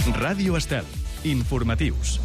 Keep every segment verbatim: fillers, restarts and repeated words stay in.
Ràdio Estel. Informatius.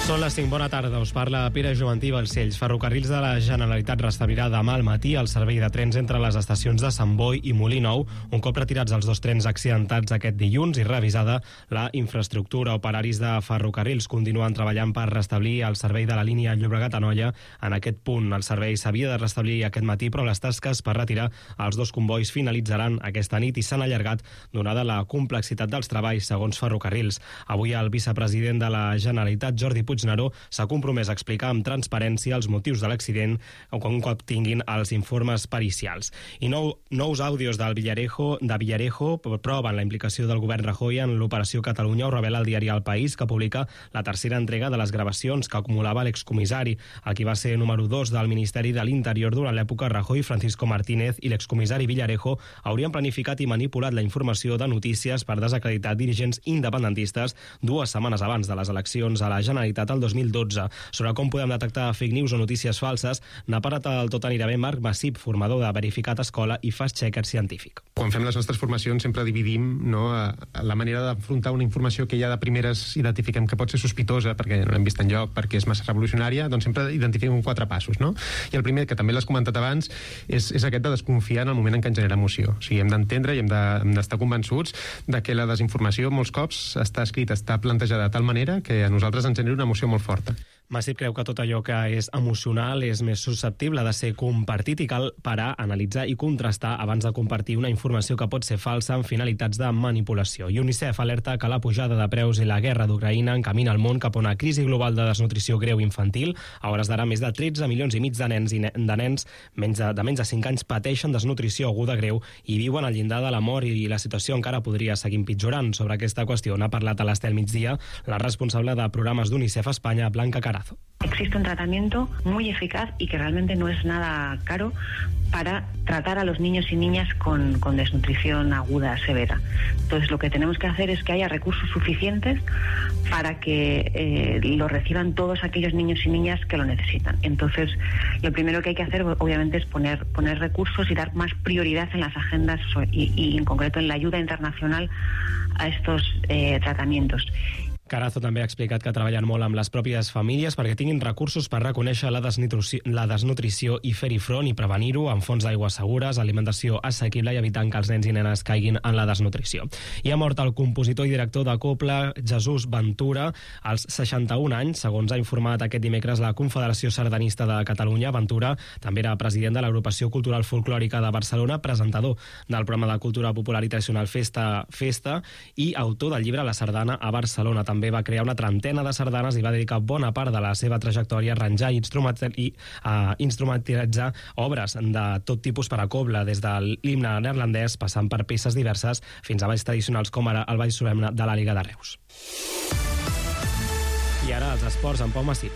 Són les cinc, bona tarda, us parla Pere Joventí Balcells. Ferrocarrils de la Generalitat restablirà demà al matí el servei de trens entre les estacions de Sant Boi i Molí Nou, un cop retirats els dos trens accidentats aquest dilluns i revisada la infraestructura. Operaris de ferrocarrils continuen treballant per restablir el servei de la línia Llobregat-Anoia en aquest punt. El servei s'havia de restablir aquest matí, però les tasques per retirar els dos combois finalitzaran aquesta nit i s'han allargat donada la complexitat dels treballs, segons Ferrocarrils. Avui el vicepresident de la Generalitat, Jordi Puigneró, s'ha compromès a explicar amb transparència els motius de l'accident un cop tinguin els informes pericials. I nou, nous àudios del Villarejo, de Villarejo proven la implicació del govern Rajoy en l'Operació Catalunya, ho revela el diari El País, que publica la tercera entrega de les gravacions que acumulava l'excomissari. El qui va ser número dos del Ministeri de l'Interior durant l'època Rajoy, Francisco Martínez, i l'excomissari Villarejo haurien planificat i manipulat la informació de notícies per desacreditar dirigents independentistes dues setmanes abans de les eleccions a la Generalitat el dos mil dotze. Sobre com podem detectar fake news o notícies falses, n'ha parlat el tot anirà bé Marc Massip, formador de Verificat Escola i fast-checker científic. Quan fem les nostres formacions sempre dividim, no, a, a la manera d'afrontar una informació que ja de primeres identifiquem que pot ser sospitosa perquè no l'hem vist enlloc, perquè és massa revolucionària, doncs sempre identifiquem quatre passos, no? I el primer, que també l'has comentat abans, és, és aquest de desconfiar en el moment en què ens genera emoció. O sigui, hem d'entendre i hem de, hem d'estar convençuts de que la desinformació molts cops està escrita, està plantejada de tal manera que a nosaltres ens genera una emoció molt forta. Massip creu que tot allò que és emocional és més susceptible de ser compartit i cal parar, analitzar i contrastar abans de compartir una informació que pot ser falsa amb finalitats de manipulació. I UNICEF alerta que la pujada de preus i la guerra d'Ucraïna encamina el món cap a una crisi global de desnutrició greu infantil. A hores d'ara, més de tretze milions i mig de nens i ne de nens menys de, de menys de cinc anys pateixen desnutrició aguda greu i viuen al llindar de la mort, i la situació encara podria seguir empitjorant. Sobre aquesta qüestió n'ha parlat a l'Estel Migdia la responsable de programes d'UNICEF a Espanya, Blanca Carazo. Existe un tratamiento muy eficaz y que realmente no es nada caro para tratar a los niños y niñas con, con desnutrición aguda severa. Entonces lo que tenemos que hacer es que haya recursos suficientes para que eh, lo reciban todos aquellos niños y niñas que lo necesitan. Entonces lo primero que hay que hacer obviamente es poner, poner recursos y dar más prioridad en las agendas y, y en concreto en la ayuda internacional a estos eh, tratamientos. Carazo també ha explicat que treballen molt amb les pròpies famílies perquè tinguin recursos per reconèixer la desnutrició, la desnutrició i fer-hi front i prevenir-ho amb fonts d'aigua segures, alimentació assequible i evitant que els nens i nenes caiguin en la desnutrició. I ha mort el compositor i director de Copla, Jesús Ventura, als seixanta-un anys, segons ha informat aquest dimecres la Confederació Sardanista de Catalunya. Ventura també era president de l'Agrupació Cultural Folclòrica de Barcelona, presentador del programa de cultura popular i tradicional Festa Festa i autor del llibre La Sardana a Barcelona. També va crear una trentena de sardanes i va dedicar bona part de la seva trajectòria a arranjar i, i a instrumentalitzar obres de tot tipus per a cobla, des de l'himne neerlandès passant per peces diverses fins a balls tradicionals com ara el ball solemne de la Liga de Reus. I ara els esports amb Pau Massip.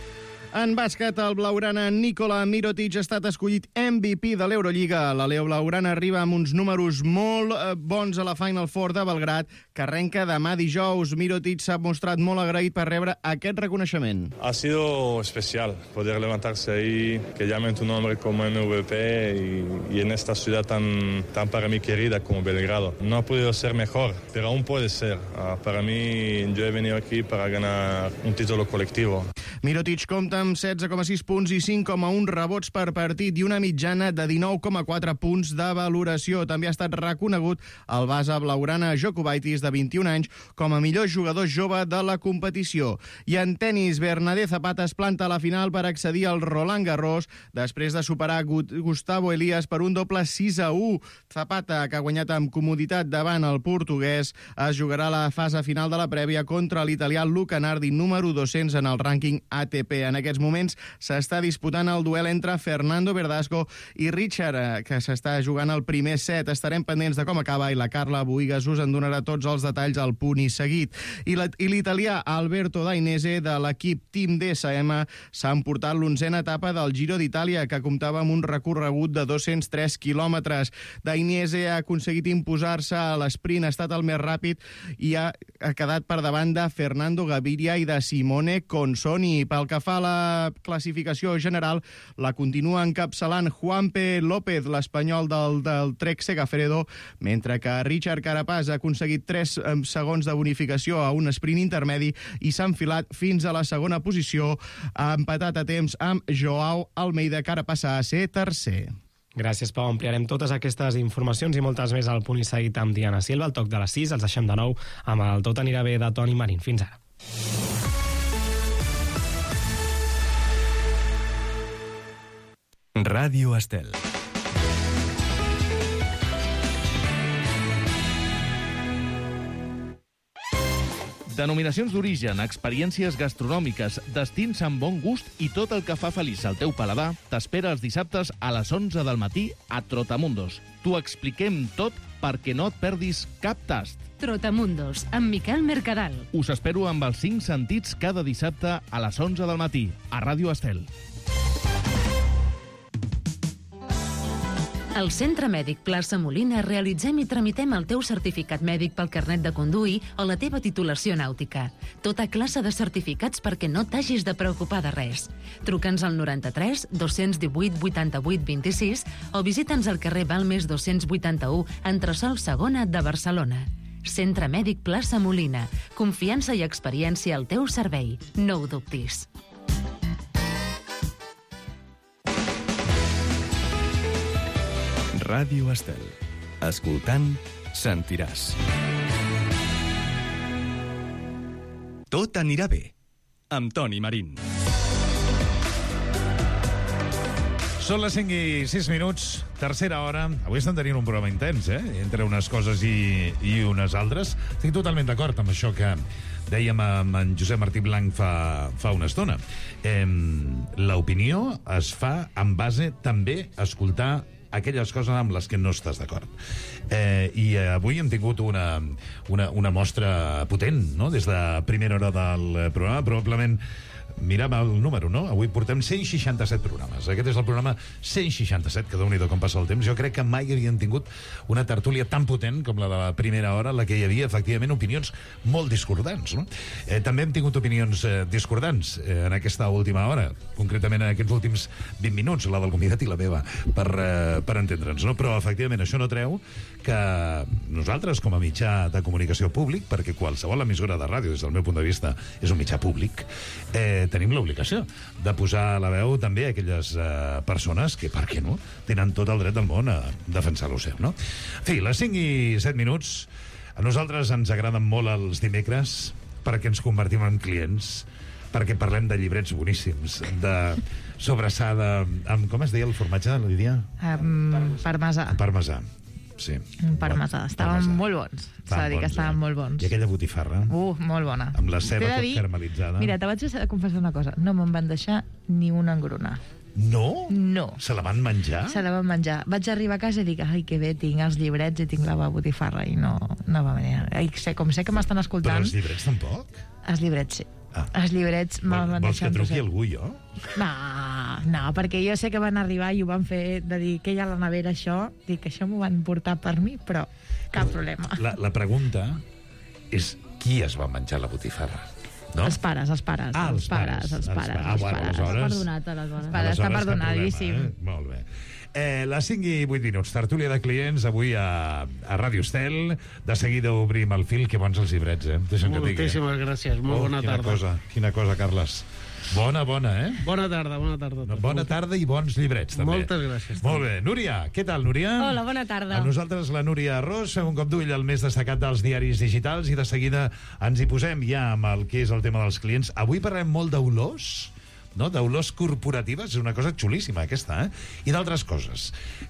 En bàsquet, el blaugrana Nikola Mirotic ha estat escollit M V P de l'Eurolliga. La Leo blaugrana arriba amb uns números molt bons a la Final Four de Belgrad, que arrenca demà dijous. Mirotic s'ha mostrat molt agraït per rebre aquest reconeixement. Ha sido especial poder levantarse ahí, que llamen tu nombre como M V P y, y en esta ciudad tan, tan para mí querida como Belgrado. No ha podido ser mejor, pero aún puede ser. Uh, para mí, yo he venido aquí para ganar un título colectivo. Mirotic compta amb setze coma sis punts i cinc coma un rebots per partit i una mitjana de dinou coma quatre punts de valoració. També ha estat reconegut el base blaugrana Jokubaitis, de vint-i-un anys, com a millor jugador jove de la competició. I en tenis, Bernadette Zapata es planta a la final per accedir al Roland Garros després de superar Gustavo Elias per un doble sis a u. Zapata, que ha guanyat amb comoditat davant el portuguès, es jugarà la fase final de la prèvia contra l'italià Luca Nardi, número dos-cents en el rànquing A T P. En aquests moments s'està disputant el duel entre Fernando Verdasco i Richard, que s'està jugant el primer set. Estarem pendents de com acaba i la Carla Buigas us en donarà tots els detalls al punt i seguit. I l'italià Alberto Dainese, de l'equip Team D S M, s'ha emportat l'onzena etapa del Giro d'Itàlia, que comptava amb un recorregut de dos-cents tres quilòmetres. Dainese ha aconseguit imposar-se a l'esprint, ha estat el més ràpid i ha, ha quedat per davant de Fernando Gaviria i de Simone Consoni. femení. Pel que fa a la classificació general, la continua encapçalant Juanpe López, l'espanyol del, del Trek Segafredo, mentre que Richard Carapaz ha aconseguit tres segons de bonificació a un sprint intermedi i s'ha enfilat fins a la segona posició, ha empatat a temps amb Joao Almeida, que ara passa a ser tercer. Gràcies, Pau. Ampliarem totes aquestes informacions i moltes més al Punt i Seguit amb Diana Silva. Al toc de les sis els deixem de nou amb el Tot anirà bé de Toni Marín. Fins ara. Ràdio Estel. Denominacions d'origen, experiències gastronòmiques, destins amb bon gust i tot el que fa feliç al teu paladar t'espera els dissabtes a les onze del matí a Trotamundos. T'ho expliquem tot perquè no et perdis cap tast. Trotamundos, amb Miquel Mercadal. Us espero amb els cinc sentits cada dissabte a les onze del matí a Ràdio Estel. Al Centre Mèdic Plaça Molina realitzem i tramitem el teu certificat mèdic pel carnet de conduir o la teva titulació nàutica. Tota classe de certificats perquè no t'hagis de preocupar de res. Truca'ns al noranta-tres dos-cents divuit vuitanta-vuit vint-i-sis o visita'ns al carrer Balmes dos-cents vuitanta-u, entresòl segona de Barcelona. Centre Mèdic Plaça Molina. Confiança i experiència al teu servei. No ho dubtis. Ràdio Estel. Escoltant, sentiràs. Tot anirà bé, amb Toni Marín. Són les cinc i sis minuts, tercera hora. Avui estem tenint un programa intens, eh? Entre unes coses i, i unes altres. Estic totalment d'acord amb això que dèiem amb en Josep Martí Blanc fa, fa una estona. Eh, L'opinió es fa en base també a escoltar aquelles coses amb les que no estàs d'acord. Eh, I avui hem tingut una, una, una mostra potent, no?, des de primera hora del programa. Probablement mirem el número, no? Avui portem cent seixanta-set programes. Aquest és el programa cent seixanta-set, que déu-n'hi-do com passa el temps. Jo crec que mai havien tingut una tertúlia tan potent com la de la primera hora, en la que hi havia, efectivament, opinions molt discordants, no? Eh, també hem tingut opinions eh, discordants eh, en aquesta última hora, concretament en aquests últims vint minuts, la del convidat i la meva, per, eh, per entendre'ns, no? Però, efectivament, això no treu que nosaltres, com a mitjà de comunicació públic, perquè qualsevol emissora de ràdio, des del meu punt de vista, és un mitjà públic, eh, tenim l'obligació de posar a la veu també aquelles eh, persones que, per què no, tenen tot el dret del món a defensar lo seu, no? En fi, les cinc i set minuts, a nosaltres ens agraden molt els dimecres perquè ens convertim en clients, perquè parlem de llibrets boníssims, de sobrassada amb, com es deia el formatge, Lídia? Um, parmesà. Parmesà. Sí. Un parmesà. Estaven parmesà. Molt bons. S'ha de dir que estaven eh? molt bons. I aquella botifarra. Uh, molt bona. Amb la ceba tot dir, caramelitzada. Mira, te vaig a confessar una cosa. No me'n van deixar ni una engruna. No? No. Se la van menjar? Se la van menjar. Vaig arribar a casa i dic, ai, que bé, tinc els llibrets i tinc la botifarra, i no, no va venir. I sé, com sé que m'estan escoltant... Però els llibrets tampoc? Els llibrets, sí. Ah. Els llibrets me'ls van deixar... Vols que truqui algú, jo? No, no, perquè jo sé que van arribar i ho van fer de dir que hi ha a la nevera això, dic que això m'ho van portar per mi, però cap problema. La, la pregunta és qui es va menjar la botifarra? No? Els pares, els pares. Ah, els, els pares, pares. Els pares, ah, els bueno, pares. Aleshores... Perdonat, aleshores. Els pares, està perdonadíssim. Eh? Molt bé. Eh, les cinc i vuit minuts, tertúlia de clients avui a, a Ràdio Estel. De seguida obrim el fil, que bons els llibrets, eh? Moltíssimes gràcies, molt oh, bona quina tarda. Cosa, quina cosa, Carles. Bona, bona, eh? Bona tarda, bona tarda. No, bona tarda i bons llibrets, també. Moltes gràcies. Molt bé. Núria, què tal, Núria? Hola, bona tarda. A nosaltres, la Núria Ros, un cop d'ull al més destacat dels diaris digitals, i de seguida ens hi posem ja amb el que és el tema dels clients. Avui parlem molt d'olors, no? D'olors corporatives, és una cosa xulíssima aquesta, eh? I d'altres coses.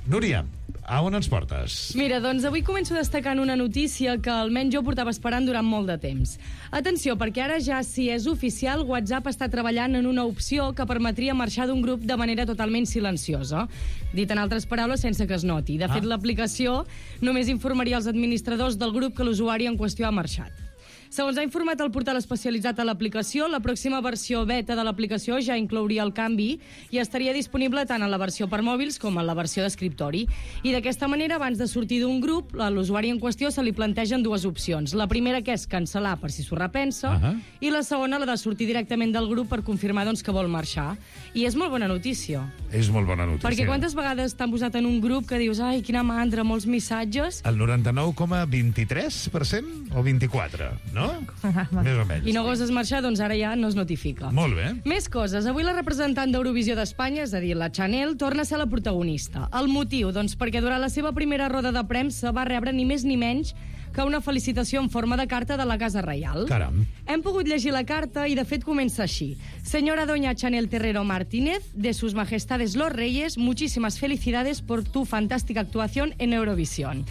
Núria, a on ens portes? Mira, doncs avui començo destacant una notícia que almenys jo portava esperant durant molt de temps. Atenció, perquè ara ja, si és oficial, WhatsApp està treballant en una opció que permetria marxar d'un grup de manera totalment silenciosa. Dit en altres paraules, sense que es noti. De fet, ah. l'aplicació només informaria als administradors del grup que l'usuari en qüestió ha marxat. Segons ha informat el portal especialitzat a l'aplicació, la pròxima versió beta de l'aplicació ja inclouria el canvi i estaria disponible tant en la versió per mòbils com en la versió d'escriptori. I d'aquesta manera, abans de sortir d'un grup, a l'usuari en qüestió se li plantegen dues opcions. La primera, que és cancel·lar per si s'ho repensa, uh -huh. i la segona, la de sortir directament del grup per confirmar doncs, que vol marxar. I és molt bona notícia. És molt bona notícia. Perquè quantes vegades t'han posat en un grup que dius ai, quina mandra, molts missatges... El noranta-nou coma vint-i-tres per cent o vint-i-quatre, no? Més o menys. I no goses marxar, doncs ara ja no es notifica. Molt bé. Més coses. Avui la representant d'Eurovisió d'Espanya, és a dir, la Chanel, torna a ser la protagonista. El motiu, doncs, perquè durant la seva primera roda de premsa va rebre ni més ni menys que una felicitació en forma de carta de la Casa Reial. Caram. Hem pogut llegir la carta i, de fet, comença així. Señora doña Chanel Terrero Martínez, de sus majestades los reyes, muchísimas felicidades por tu fantástica actuación en Eurovisión.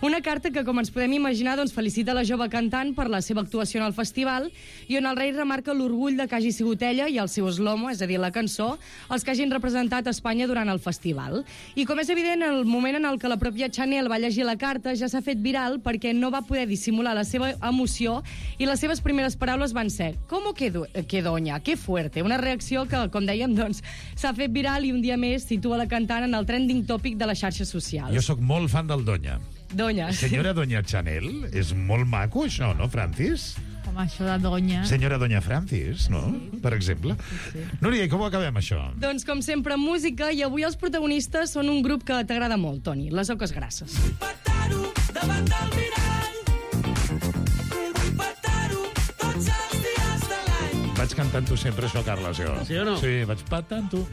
Una carta que, com ens podem imaginar, doncs, felicita la jove cantant per la seva actuació en el festival i on el rei remarca l'orgull de que hagi sigut ella i el seu slomo, és a dir, la cançó, els que hagin representat Espanya durant el festival. I, com és evident, el moment en el que la pròpia Chanel va llegir la carta ja s'ha fet viral perquè no va poder dissimular la seva emoció i les seves primeres paraules van ser «¿Cómo que, do que doña? Qué fuerte!» Una reacció que, com dèiem, doncs, s'ha fet viral i un dia més situa la cantant en el trending tòpic de les xarxes socials. Jo sóc molt fan del Doña. Doña. Senyora Doña Chanel, és molt maco això, no, Francis? Com això de Doña. Senyora Doña Francis, no? Sí. Per exemple. Sí, sí. Núria, i com ho acabem, això? Doncs, com sempre, música, i avui els protagonistes són un grup que t'agrada molt, Toni, les Oques Grasses. Petar-ho davant del mirall. Vull petar-ho tots els dies de l'any. Vaig cantant-ho sempre, això, Carles, jo. Sí o no? Sí, vaig petant-ho.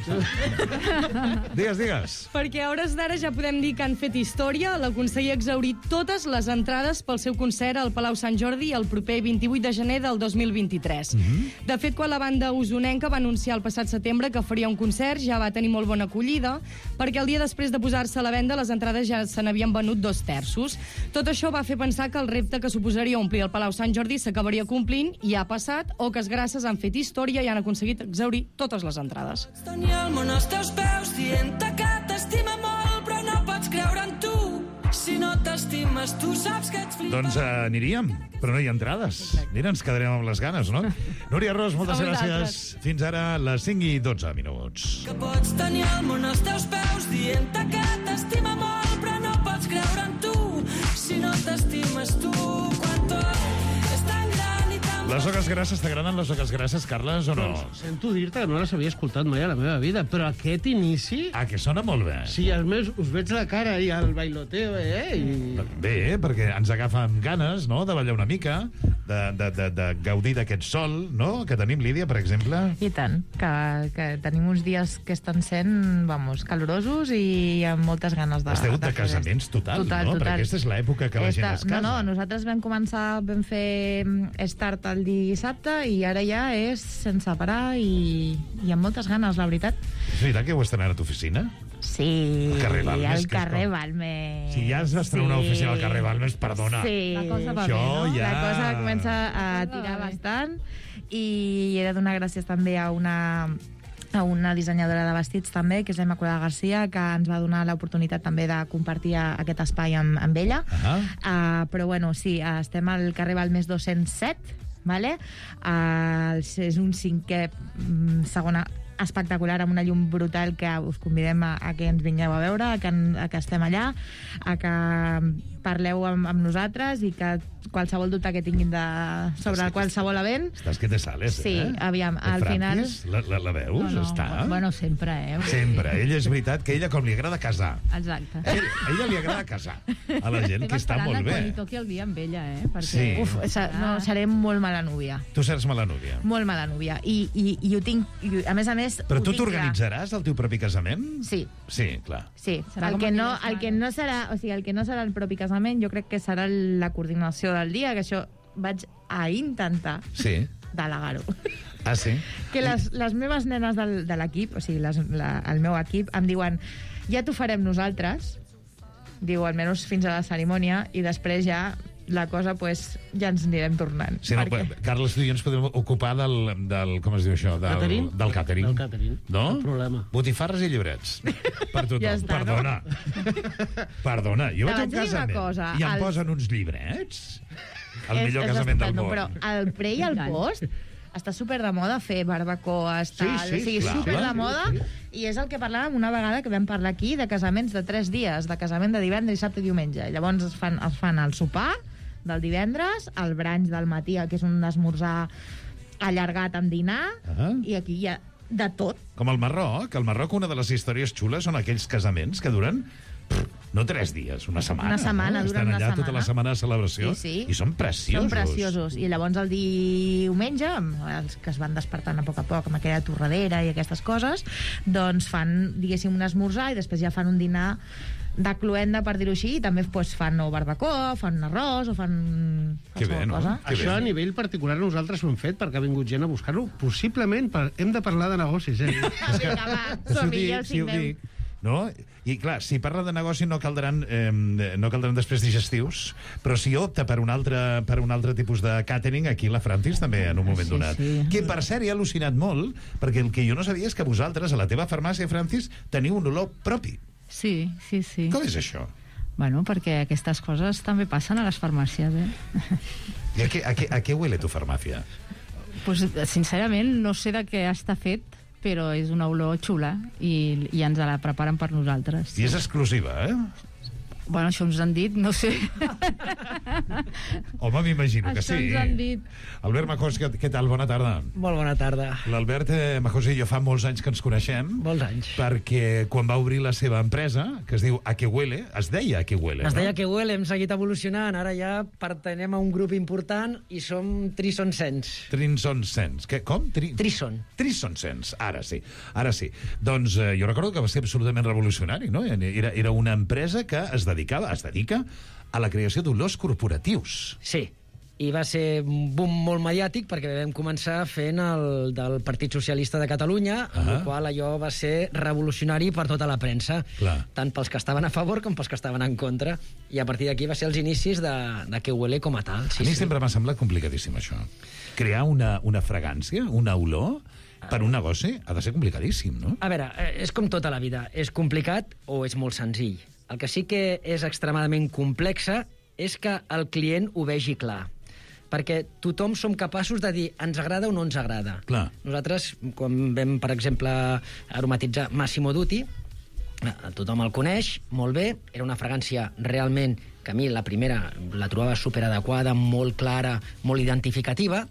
Digues, digues. Perquè a hores d'ara ja podem dir que han fet història. La conseller ha exhaurit totes les entrades pel seu concert al Palau Sant Jordi el proper vint-i-vuit de gener del dos mil vint-i-tres. Mm-hmm. De fet, quan la banda usonenca va anunciar el passat setembre que faria un concert, ja va tenir molt bona acollida, perquè el dia després de posar-se a la venda les entrades ja se n'havien venut dos terços. Tot això va fer pensar que el repte que suposaria omplir el Palau Sant Jordi s'acabaria complint i ha passat. Oques Grasses han fet història i han aconseguit exhaurir totes les entrades. Tenir el món als teus peus dient-te que t'estima molt, però no pots creure en tu. Si no t'estimes, tu saps que ets flipat. Doncs uh, aniríem, però no hi ha entrades. Mira, ens quedarem amb les ganes, no? Núria Ros, moltes gràcies. Fins ara, les cinc i dotze minuts. Que pots tenir el món als teus peus dient-te que t'estima molt, però no pots creure en tu. Si no t'estimes tu, quan tot és tan gran i tan... Les Oques Grasses, t'agraden les Oques Grasses, Carles, o no? Doncs sento dir-te que no les havia escoltat mai a la meva vida, però aquest inici... Ah, que sona molt bé. Sí, a més, us veig la cara i el bailoteo, eh? I... Bé, perquè ens agafa amb ganes, no?, de ballar una mica, de, de, de, de gaudir d'aquest sol, no?, que tenim, Lídia, per exemple. I tant, que, que tenim uns dies que estan sent, vamos, calorosos i amb moltes ganes de... Esteu de, de casaments total, total, no? Total. Perquè aquesta és l'època que la Esta, gent es casa. No, no, nosaltres vam començar, vam fer start el dissabte i ara ja és sense parar i, i amb moltes ganes, la veritat. És veritat que heu estrenat a tu oficina? Sí, al carrer Balmes. al carrer Balmes. Si ja has d'estrenar sí. una oficina al carrer Balmes, perdona. Sí, la cosa va Això bé, no? ja... La cosa comença a tirar bastant i he de donar gràcies també a una a una dissenyadora de vestits també, que és la Immaculada Garcia, que ens va donar l'oportunitat també de compartir aquest espai amb, amb ella. Uh -huh. uh, però bueno, sí, uh, estem al carrer Balmes dos-cents set, vale? uh, és un cinquè segona espectacular, amb una llum brutal, que us convidem a, a que ens vingueu a veure, a que, a que estem allà, a que parleu amb, amb nosaltres i que qualsevol dubte que tinguin de, sobre qualsevol event... Estàs que te sales, sí, eh? Sí, aviam, el al Francis, final... La, la, la veus? No, no, Està? Bueno, sempre, eh? Sempre. Ella és veritat que ella com li agrada casar. Exacte. A ella, a ella li agrada casar. A la gent, que està molt bé. Quan li toqui el dia amb ella, eh? Perquè, sí. Uf, no, seré molt mala núvia. Tu seràs mala núvia. Molt mala núvia. I, i, i ho tinc... I, a més a més... Però tu t'organitzaràs el teu propi casament? Sí. Sí, clar. Sí. El que, no, el que no serà... O sigui, el que no serà el propi casament, jo crec que serà la coordinació del dia, que això vaig a intentar sí. delegar-ho. Ah, sí? Que les, les meves nenes del, de l'equip, o sigui, les, la, el meu equip, em diuen ja t'ho farem nosaltres, diu, almenys fins a la cerimònia, i després ja la cosa, pues, ja ens anirem tornant. Sí, no, perquè... Carles, tu i jo ens podem ocupar del, del com es diu això? Del catering? Del catering. Del catering. No? No problema. Botifarres i llibrets. Per tothom. Ja està, Perdona. No? Perdona. Jo vaig a un Te vaig dir una casament cosa, i em el- posen uns llibrets El és, millor és casament del estupendo, món. Però el pre i el post està super de moda fer barbacoes, tal, Sí, sí, o sigui, clar. super de Sí, moda, sí. i és el que parlàvem una vegada que vam parlar aquí de casaments de tres dies, de casament de divendres, dissabte i diumenge. Llavors es fan, es fan el sopar del divendres, el brunch del matí, que és un esmorzar allargat amb dinar, Ah. i aquí hi ha de tot. Com al Marroc. Al Marroc una de les històries xules són aquells casaments que duren pff, no tres dies, una setmana. Una setmana, no? duren Estan una allà tota setmana. la setmana de celebració Sí, sí. i són preciosos. Són preciosos. I llavors el diumenge, amb els que es van despertant a poc a poc amb aquella torradera i aquestes coses, doncs fan, diguéssim, un esmorzar i després ja fan un dinar de cluenda, per dir-ho així, i també pues, fan o barbacoa, fan un arròs, o fan Que qualsevol bé, no? cosa. Això a nivell particular nosaltres ho hem fet perquè ha vingut gent a buscar-lo. Possiblement per... hem de parlar de negocis, eh? Vinga, va, Si ho som-hi, dic, ja el si ho signem. dic, no? I clar, si parla de negoci no caldran, eh, no caldran després digestius, però si opta per un altre, per un altre tipus de catering, aquí la Francis també en un moment Sí, donat. sí. Que per cert he al·lucinat molt, perquè el que jo no sabia és que vosaltres a la teva farmàcia, Francis, teniu un olor propi. Sí, sí, sí. Com és això? Bueno, perquè aquestes coses també passen a les farmàcies, eh? I a què, a què, a què huele tu farmàcia? Pues, sincerament, no sé de què està fet, però és una olor xula i, i ens la preparen per nosaltres. I és exclusiva, eh? Bueno, això ens han dit, no sé. Home, m'imagino que Això sí. ens han dit. Albert Majós, què, què tal? Bona tarda. Molt bona tarda. L'Albert eh, Majós i jo fa molts anys que ens coneixem. Molts anys. Perquè quan va obrir la seva empresa, que es diu A Que Huele, es deia A Que Huele, Es no? deia que Huele, hem seguit evolucionant, ara ja pertenem a un grup important i som Trison Sense. Trinson Sense. Que, com? Tri... Trison. Trison Sense, ara sí. Ara sí. Doncs eh, jo recordo que va ser absolutament revolucionari, no? Era, era una empresa que es dedicava, es dedica a la creació d'olors corporatius. Sí, i va ser un boom molt mediàtic perquè vam començar fent el del Partit Socialista de Catalunya, amb Ah. el qual allò va ser revolucionari per tota la premsa, Clar. tant pels que estaven a favor com pels que estaven en contra, i a partir d'aquí va ser els inicis de, de que Huele com a tal. Sí, a mi sempre m'ha semblat complicadíssim, això. Crear una, una fragància, una olor, per un negoci ha de ser complicadíssim, no? A veure, eh, és com tota la vida. És complicat o és molt senzill. El que sí que és extremadament complexa és que el client ho vegi clar. Perquè tothom som capaços de dir ens agrada o no ens agrada. Clar. Nosaltres, quan vam, per exemple, aromatitzar Massimo Dutti, eh, tothom el coneix, molt bé, era una fragància realment que a mi la primera la trobava superadequada, molt clara, molt identificativa,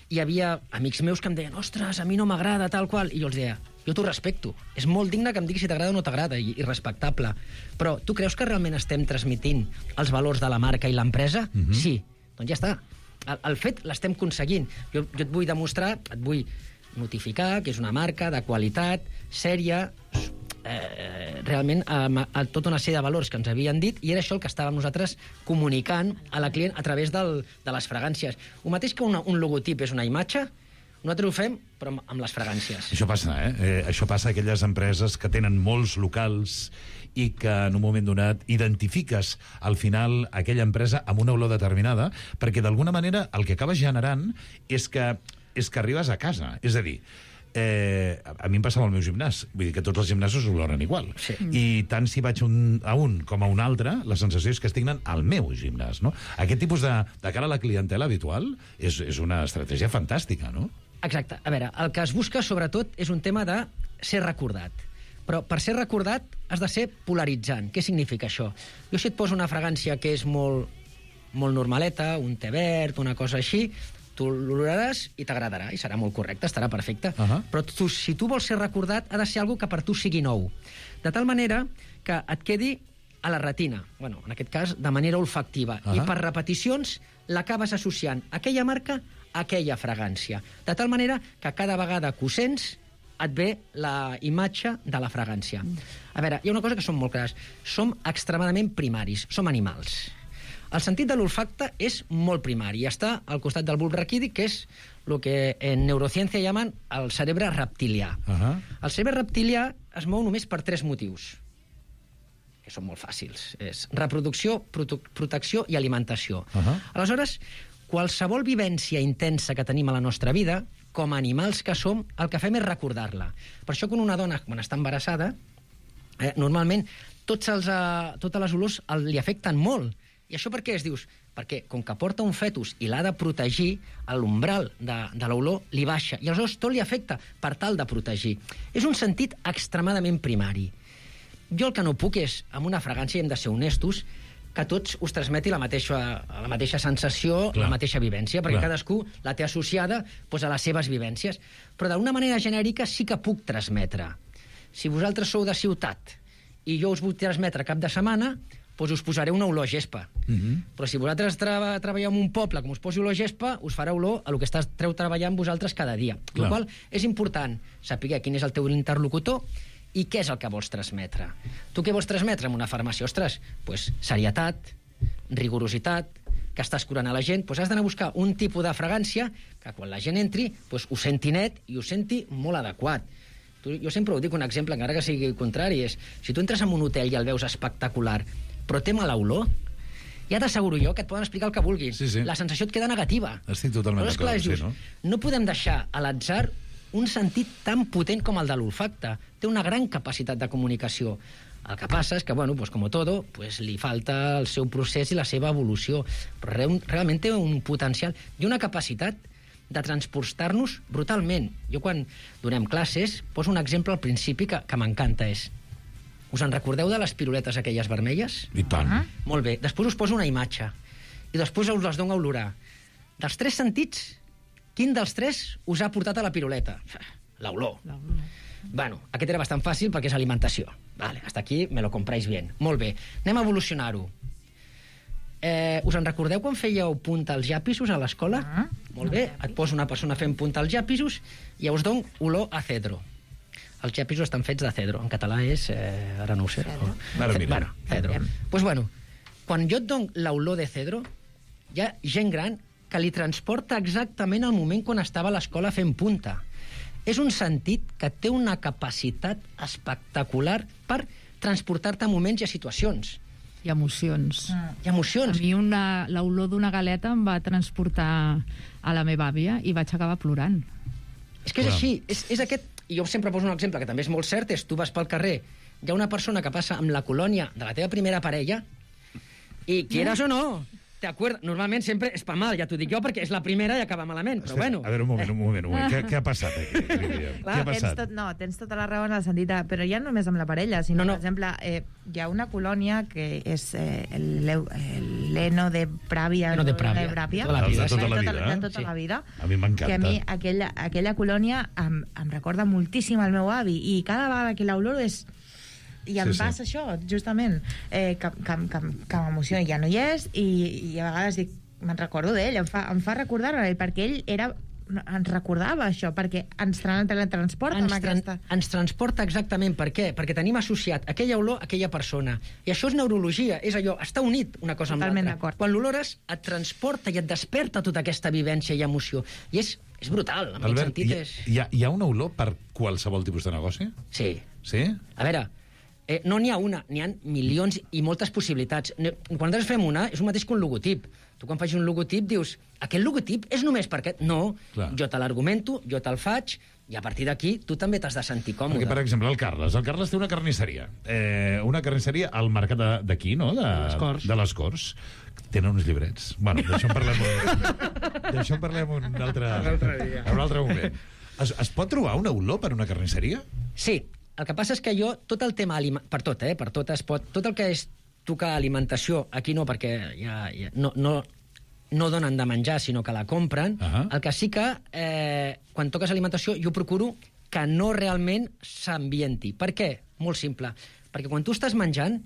i hi havia amics meus que em deien ostres, a mi no m'agrada, tal qual, i jo els deia jo t'ho respecto. És molt digne que em diguis si t'agrada o no t'agrada, i, i respectable. Però tu creus que realment estem transmitint els valors de la marca i l'empresa? Mhm. Sí. Doncs ja està. El, el fet l'estem aconseguint. Jo, jo et vull demostrar, et vull notificar que és una marca de qualitat, sèria, eh, realment amb, amb tota una sèrie de valors que ens havien dit, i era això el que estàvem nosaltres comunicant a la client a través del, de les fragàncies. El mateix que una, un logotip és una imatge, nosaltres ho fem, però amb, amb les fragàncies. Això passa, eh? eh? Això passa a aquelles empreses que tenen molts locals i que en un moment donat identifiques al final aquella empresa amb una olor determinada, perquè d'alguna manera el que acabes generant és que, és que arribes a casa. És a dir, eh, a mi em passava al meu gimnàs, vull dir que tots els gimnasos oloren igual. Sí. I tant si vaig un, a un com a un altre, la sensació és que estic anant al meu gimnàs, no? Aquest tipus de, de cara a la clientela habitual és, és una estratègia fantàstica, no? Exacte. A veure, el que es busca, sobretot, és un tema de ser recordat. Però per ser recordat has de ser polaritzant. Què significa això? Jo si et poso una fragància que és molt, molt normaleta, un te verd, una cosa així, tu l'oloraràs i t'agradarà, i serà molt correcte, estarà perfecte. Uh -huh. Però tu, si tu vols ser recordat, ha de ser algo que per tu sigui nou. De tal manera que et quedi a la retina, bueno, en aquest cas de manera olfactiva, Uh -huh. i per repeticions l'acabes associant aquella marca a aquella fragància. De tal manera que cada vegada que ho sents et ve la imatge de la fragància. A veure, hi ha una cosa que som molt clars. Som extremadament primaris, som animals. El sentit de l'olfacte és molt primari i està al costat del bulb raquídic, que és el que en neurociència llamen el cerebre reptilià. Uh -huh. El cerebre reptilià es mou només per tres motius, que són molt fàcils. És reproducció, prote protecció i alimentació. Uh -huh. Aleshores, qualsevol vivència intensa que tenim a la nostra vida, com a animals que som, el que fem és recordar-la. Per això, quan una dona, quan està embarassada, eh, normalment tots els, eh, totes les olors el, li afecten molt. I això per què es dius? Perquè com que porta un fetus i l'ha de protegir, l'umbral de, de l'olor li baixa, i aleshores tot li afecta per tal de protegir. És un sentit extremadament primari. Jo el que no puc és, amb una fragància, hem de ser honestos, que a tots us transmeti la mateixa, la mateixa sensació, Clar. la mateixa vivència, perquè Clar. cadascú la té associada doncs, a les seves vivències. Però d'una manera genèrica sí que puc transmetre. Si vosaltres sou de ciutat i jo us vull transmetre cap de setmana, doncs us posaré una olor a gespa. Mm-hmm. Però si vosaltres tra treballeu en un poble, com us posi olor a gespa, us farà olor a el que esteu treballant vosaltres cada dia. La qual és important saber quin és el teu interlocutor i què és el que vols transmetre. Tu què vols transmetre en una farmàcia? Ostres, doncs serietat, rigorositat, que estàs curant a la gent, doncs has d'anar a buscar un tipus de fragància que quan la gent entri doncs ho senti net i ho senti molt adequat. Tu, jo sempre ho dic, un exemple, encara que sigui el contrari, és si tu entres en un hotel i el veus espectacular, però té mala olor, ja t'asseguro jo que et poden explicar el que vulguis. Sí, sí. La sensació et queda negativa. Estic totalment d'acord, sí, no? No podem deixar a l'atzar un sentit tan potent com el de l'olfacte. Té una gran capacitat de comunicació. El que passa és que, bueno, pues como todo, pues li falta el seu procés i la seva evolució. Però re realment té un potencial i una capacitat de transportar-nos brutalment. Jo quan donem classes poso un exemple al principi que, que m'encanta. És: us en recordeu de les piruletes aquelles vermelles? I tant. Uh -huh. Molt bé. Després us poso una imatge i després us les dono a olorar. Dels tres sentits, quin dels tres us ha portat a la piruleta? L'olor. Bueno, aquest era bastant fàcil perquè és alimentació. Vale, hasta aquí me lo compráis bien. Molt bé, anem a evolucionar-ho. Eh, us en recordeu quan fèieu punta als llapisos a l'escola? Ah, Molt bé, et poso una persona fent punta als llapisos i us dono olor a cedro. Els llapisos estan fets de cedro. En català és... Eh, ara no ho sé. Cedro. Bueno, bueno, cedro. Doncs pues bueno, quan jo et dono l'olor de cedro, hi ha gent gran que li transporta exactament al moment quan estava a l'escola fent punta. És un sentit que té una capacitat espectacular per transportar-te a moments i a situacions. I emocions. Mm. I emocions. A mi una, l'olor d'una galeta em va transportar a la meva àvia i vaig acabar plorant. És que és Clar. així. És, és aquest... I jo sempre poso un exemple que també és molt cert, és tu vas pel carrer, hi ha una persona que passa amb la colònia de la teva primera parella i quieras o no... T'acuerdes? Normalment sempre és per mal, ja t'ho dic jo, perquè és la primera i acaba malament, però bueno. A veure, un moment, un moment, un moment. Què, què ha passat aquí? Clar, què ha passat? Tens tot, no, tens tota la raó en el sentit de... Però ja no només amb la parella, sinó, no, no. per exemple, eh, hi ha una colònia que és eh, l'Eno de Pràvia. L'Eno de Pràvia. De Pràvia. Tota la vida, de tota la vida. De tota sí. la vida. A mi m'encanta. Que a mi aquella, aquella colònia em, em recorda moltíssim al meu avi, i cada vegada que l'oloro és... I em sí, passa sí. això, justament, eh, que, que, que, que m'emociona, ja no hi és, i, i a vegades dic, me'n recordo d'ell, em fa, em fa recordar-ho, perquè ell era, ens recordava això, perquè ens teletransporta ens, amb aquesta... Ens transporta exactament, per què? Perquè tenim associat aquella olor a aquella persona. I això és neurologia, és allò, està unit una cosa Totalment amb l'altra. Quan l'olores et transporta i et desperta tota aquesta vivència i emoció. I és, és brutal, en Albert, aquest sentit hi, és... Hi ha, hi ha una olor per qualsevol tipus de negoci? Sí. Sí? A veure... Eh, no n'hi ha una, n'hi ha milions i moltes possibilitats. Quan nosaltres fem una, és un mateix que un logotip. Tu quan faig un logotip dius, aquest logotip és només per aquest? No, Clar. jo te l'argumento, jo te'l faig, i a partir d'aquí tu també t'has de sentir còmode. Perquè, per exemple, el Carles. El Carles té una carnisseria. Eh, una carnisseria al mercat d'aquí, no? De, de les Corts. De les Corts. Tenen uns llibrets. Bueno, d'això en parlem, d'això en parlem un altre, un altre dia. Un altre moment. Es, es pot trobar una olor per una carnisseria? Sí. El que passa és que jo, tot el tema... Per tot, eh? Per tot es pot... Tot el que és tocar alimentació, aquí no, perquè ja, ja no, no, no donen de menjar, sinó que la compren. Uh -huh. El que sí que, eh, quan toques alimentació, jo procuro que no realment s'ambienti. Per què? Molt simple. Perquè quan tu estàs menjant,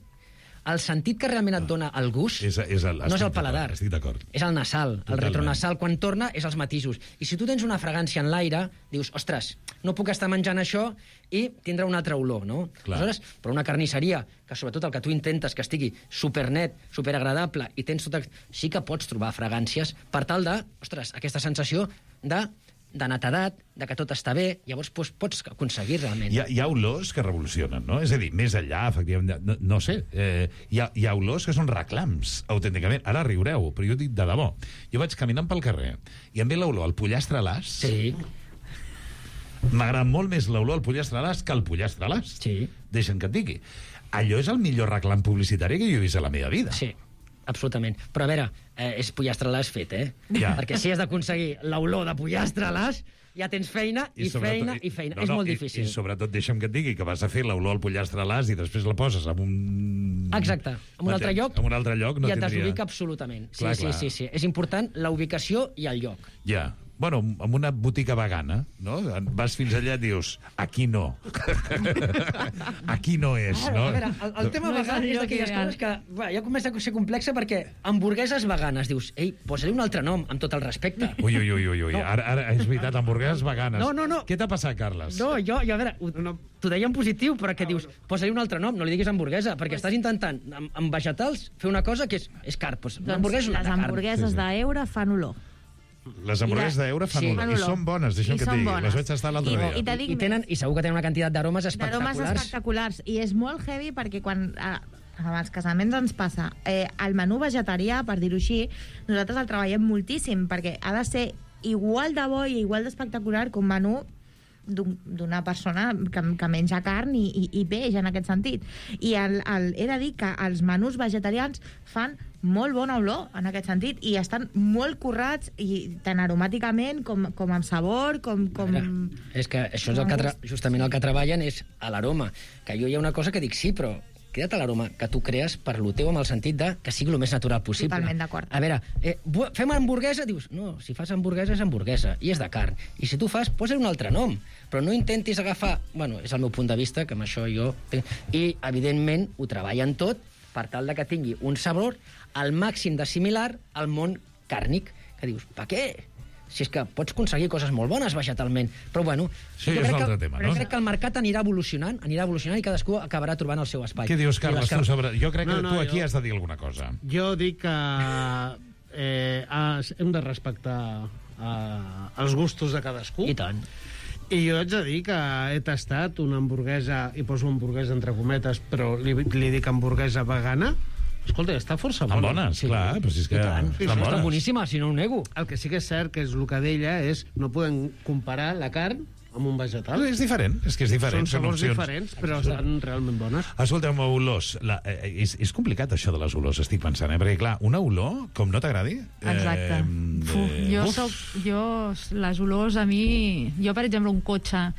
el sentit que realment et dona el gust és, és el, no és el paladar, estic d'acord. És el nasal. Totalment. El retronasal, quan torna, és els matisos. I si tu tens una fragància en l'aire, dius, ostres, no puc estar menjant això i tindrà una altra olor, no? Aleshores, però una carnisseria, que sobretot el que tu intentes que estigui supernet, superagradable, i tens tot... sí que pots trobar fragàncies per tal de, ostres, aquesta sensació de... de netedat, de que tot està bé, llavors doncs, pots aconseguir realment. Hi ha, hi ha olors que revolucionen, no? És a dir, més enllà, efectivament, no, no sé, eh, hi, ha, hi ha olors que són reclams, autènticament. Ara riureu, però jo dic de debò. Jo vaig caminant pel carrer i em ve l'olor al pollastre a l'as. Sí. M'agrada molt més l'olor al pollastre a l'as que al pollastre a l'as. Sí. Deixen que et digui. Allò és el millor reclam publicitari que jo he vist a la meva vida. Sí. absolutament. Però a veure, eh, és pollastre a l'as fet, eh? Ja. Perquè si has d'aconseguir l'olor de pollastre a l'as, ja tens feina i, I feina i feina. No, és no, molt i, difícil. I sobretot deixa'm que et digui que vas a fer l'olor al pollastre a l'as i després la poses en un... Exacte, en un altre lloc, en un altre lloc no i et tindria... desubica absolutament. Sí, Clar, sí, clar. sí, sí. És important la ubicació i el lloc. Ja. Bueno, en una botiga vegana, no? Vas fins allà i dius, aquí no. Aquí no és, no? A veure, el, el tema No és vegan el és lloc d'aquelles ideal. coses que va, ja comença a ser complexa perquè hamburgueses veganes, dius, ei, posa-li un altre nom, amb tot el respecte. Ui, ui, ui, ui, ui. No. Ara, ara és veritat, hamburgueses veganes. No, no, no. Què t'ha passat, Carles? No, jo, jo a veure, ho, no, t'ho deia en positiu, però que dius, posa-li un altre nom, no li diguis hamburguesa, perquè estàs intentant, amb, amb vegetals, fer una cosa que és, és car. Doncs, una Doncs hamburguesa és una les carn. hamburgueses Sí, sí. d'Eure fan olor. Les hamburgueses I la- d'Eure fan Sí. olor. Fan I olor. són bones, deixa'm I que et són digui. bones. Les vaig tastar l'altre I- dia. i te dic I, tenen, I segur que tenen una quantitat d'aromes D'aromes espectaculars. espectaculars. I és molt heavy perquè quan... A, amb els casaments ens passa. Eh, el menú vegetarià, per dir-ho així, nosaltres el treballem moltíssim, perquè ha de ser igual de bo i igual d'espectacular que un menú d'un- d'una persona que, que menja carn i, i, i peix, en aquest sentit. I el, el, he de dir que els menús vegetarians fan molt bona olor, en aquest sentit, i estan molt currats, i tant aromàticament com, com amb sabor, com... com... És que això és el que tra justament el que treballen és a l'aroma. Que jo hi ha una cosa que dic, sí, però queda't a l'aroma que tu crees per lo teu amb el sentit de que sigui el més natural possible. Totalment d'acord. A veure, eh, bu- fem hamburguesa? Dius, no, si fas hamburguesa és hamburguesa i és de carn. I si tu fas, posa-li un altre nom. Però no intentis agafar... Bueno, és el meu punt de vista, que amb això jo... I, evidentment, ho treballen tot per tal de que tingui un sabor al màxim de similar al món càrnic. Que dius, per què? Si és que pots aconseguir coses molt bones vegetalment. Però, bueno, Sí, jo és crec un que, altre tema, però no? crec que el mercat anirà evolucionant, anirà evolucionant i cadascú acabarà trobant el seu espai. Què dius, I Carles, les tu car- sobre... Jo crec que No, no, tu aquí jo- has de dir alguna cosa. Jo dic que eh, has- hem de respectar eh, els gustos de cadascú. I tant. I jo haig de dir que he tastat una hamburguesa, i poso hamburguesa entre cometes, però li, li dic hamburguesa vegana. Escolta, està força Estan bona. bones, clar, però si és que I tant. estan bones. Està boníssima, si no ho nego. El que sí que és cert, que és el que deia, és no podem comparar la carn amb un vegetal. És diferent, és que és diferent. Són sabors opcions. diferents, però estan realment bones. Escolta'm, olors. La, eh, és, és complicat això de les olors, estic pensant, eh? Perquè, clar, una olor, com no t'agradi... Exacte. Eh, Uf, jo uf. soc... Jo, les olors, a mi... Jo, per exemple, un cotxe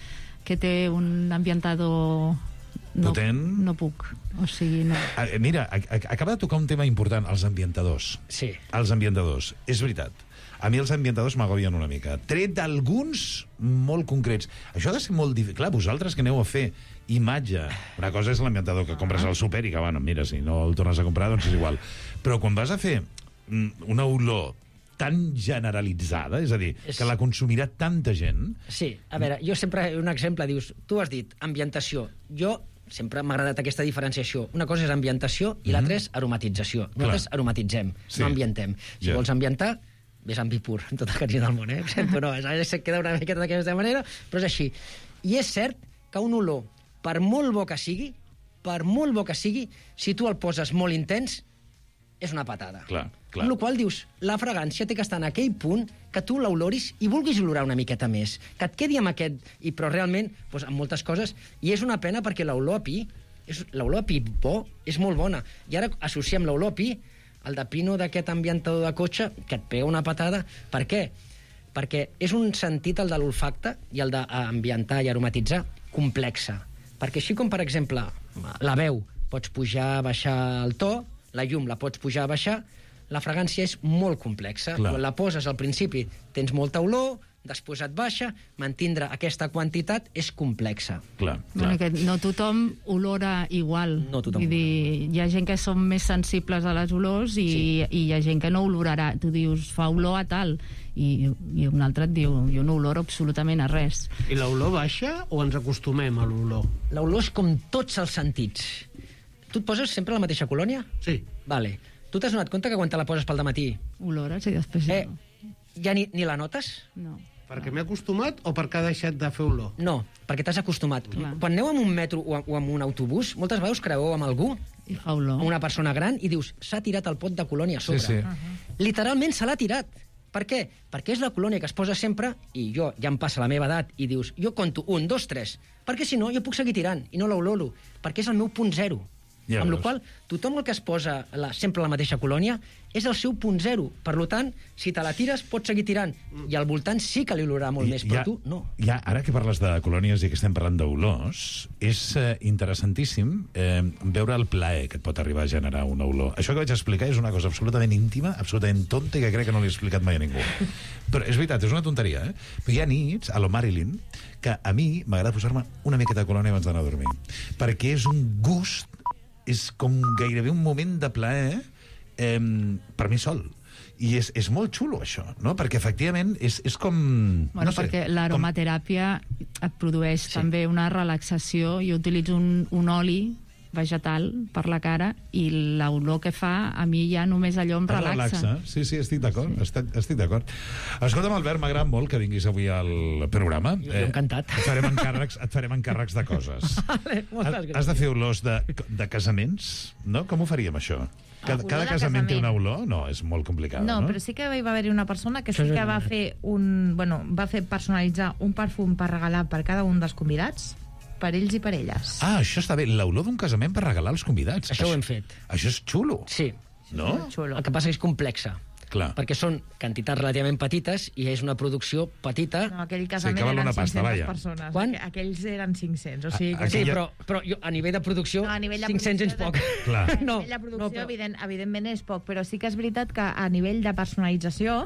que té un ambientador... No, Potent. no puc. O sigui, no. Eh, Mira, a- a- acaba de tocar un tema important, els ambientadors. Sí. Els ambientadors, és veritat. A mi els ambientadors m'agobien una mica. Tret d'alguns molt concrets. Això ha de ser molt difícil. Clar, vosaltres que aneu a fer imatge. Una cosa és l'ambientador que compres al súper i que, bueno, mira, si no el tornes a comprar, doncs és igual. Però quan vas a fer mm, una olor tan generalitzada, és a dir, És- que la consumirà tanta gent... Sí, a veure, jo sempre, un exemple, dius, tu has dit ambientació. Jo sempre m'ha agradat aquesta diferenciació. Una cosa és ambientació i l'altra és aromatització. Nosaltres aromatitzem, Sí. no ambientem. Si Ja. vols ambientar, ves amb vi pur, amb tot el carinyo del món, eh? Sempre no, és, se queda una miqueta d'aquesta manera, però és així. I és cert que un olor, per molt bo que sigui, per molt bo que sigui, si tu el poses molt intens, és una patada. Clar, clar. Amb la qual dius, la fragància té que estar en aquell punt que tu l'oloris i vulguis olorar una miqueta més, que et quedi amb aquest... I, però realment, doncs, amb moltes coses, i és una pena perquè l'olor a pi, és, l'olor a pi bo és molt bona. I ara associem l'olor a pi al de pino d'aquest ambientador de cotxe que et pega una patada. Per què? Perquè és un sentit, el de l'olfacte i el d'ambientar i aromatitzar, complexa. Perquè així com, per exemple, la veu, pots pujar, baixar el to, la llum la pots pujar, baixar, la fragància és molt complexa. Clar. Quan la poses al principi tens molta olor, després et baixa, mantindre aquesta quantitat és complexa. Clar, Bueno, que no tothom olora igual. No tothom Vull dir, hi ha gent que són més sensibles a les olors i, sí. i hi ha gent que no olorarà. Tu dius, fa olor a tal, i, i un altre et diu, jo no oloro absolutament a res. I l'olor baixa o ens acostumem a l'olor? L'olor és com tots els sentits. Tu et poses sempre a la mateixa colònia? Sí. Vale. Tu t'has donat compte que quan te la poses pel dematí Olores i després ja eh, no. ja ni, ni la notes? No. Perquè m'he acostumat o perquè ha deixat de fer olor? No, perquè t'has acostumat. Clar. Quan aneu amb un metro o, o amb un autobús, moltes vegades creueu amb algú, I fa olor. amb una persona gran, i dius, s'ha tirat el pot de colònia a sobre. Sí, sí. Uh-huh. Literalment se l'ha tirat. Per què? Perquè és la colònia que es posa sempre, i jo ja em passa la meva edat, i dius, jo conto un, dos, tres, perquè si no jo puc seguir tirant, i no l'oloro, perquè és el meu punt zero. Ja amb la qual cosa, tothom el que es posa la, sempre la mateixa colònia és el seu punt zero. Per tant, si te la tires, pots seguir tirant. I al voltant sí que li olorarà molt I, més, però ja, tu no. Ja, ara que parles de colònies i que estem parlant d'olors, és eh, interessantíssim eh, veure el plaer que et pot arribar a generar una olor. Això que vaig explicar és una cosa absolutament íntima, absolutament tonta, i que crec que no l'he explicat mai a ningú. Però és veritat, és una tonteria, eh? Però hi ha nits, a lo Marilyn, que a mi m'agrada posar-me una miqueta de colònia abans d'anar a dormir. Perquè és un gust, és com gairebé un moment de plaer eh, per mi sol. I és, és molt xulo, això, no? Perquè, efectivament, és, és com... Bueno, no sé, perquè l'aromateràpia com... et produeix sí. també una relaxació. Jo utilitzo un, un oli vegetal per la cara i l'olor que fa a mi ja només allò em relaxa. relaxa. Sí, sí, estic d'acord, sí. estic, estic d'acord. Escolta'm, Albert, m'agrada molt que vinguis avui al programa. Jo eh, encantat. Et farem encàrrecs, et farem encàrrecs de coses. Vale, moltes gràcies. Has de fer olors de, de casaments, no? Com ho faríem, això? Cada, cada casament té una olor? No, és molt complicat, no? No, però sí que hi va haver-hi una persona que sí que va fer un... Bueno, va fer personalitzar un perfum per regalar per cada un dels convidats, per ells i per elles. Ah, això està bé. L'olor d'un casament per regalar als convidats. Això, això ho hem fet. Això és xulo. Sí. No? Xulo. El que passa és complexa. Clar. Perquè són quantitats relativament petites i és una producció petita. No, aquell casament sí, eren cinc-centes persones. Quan? Aquells eren cinc-cents. O sigui, a, que... Sí, però, però jo, a nivell de producció, no, nivell de cinc-cents és poc. Clar. A nivell de producció, no, però... evident, evidentment, és poc, però sí que és veritat que a nivell de personalització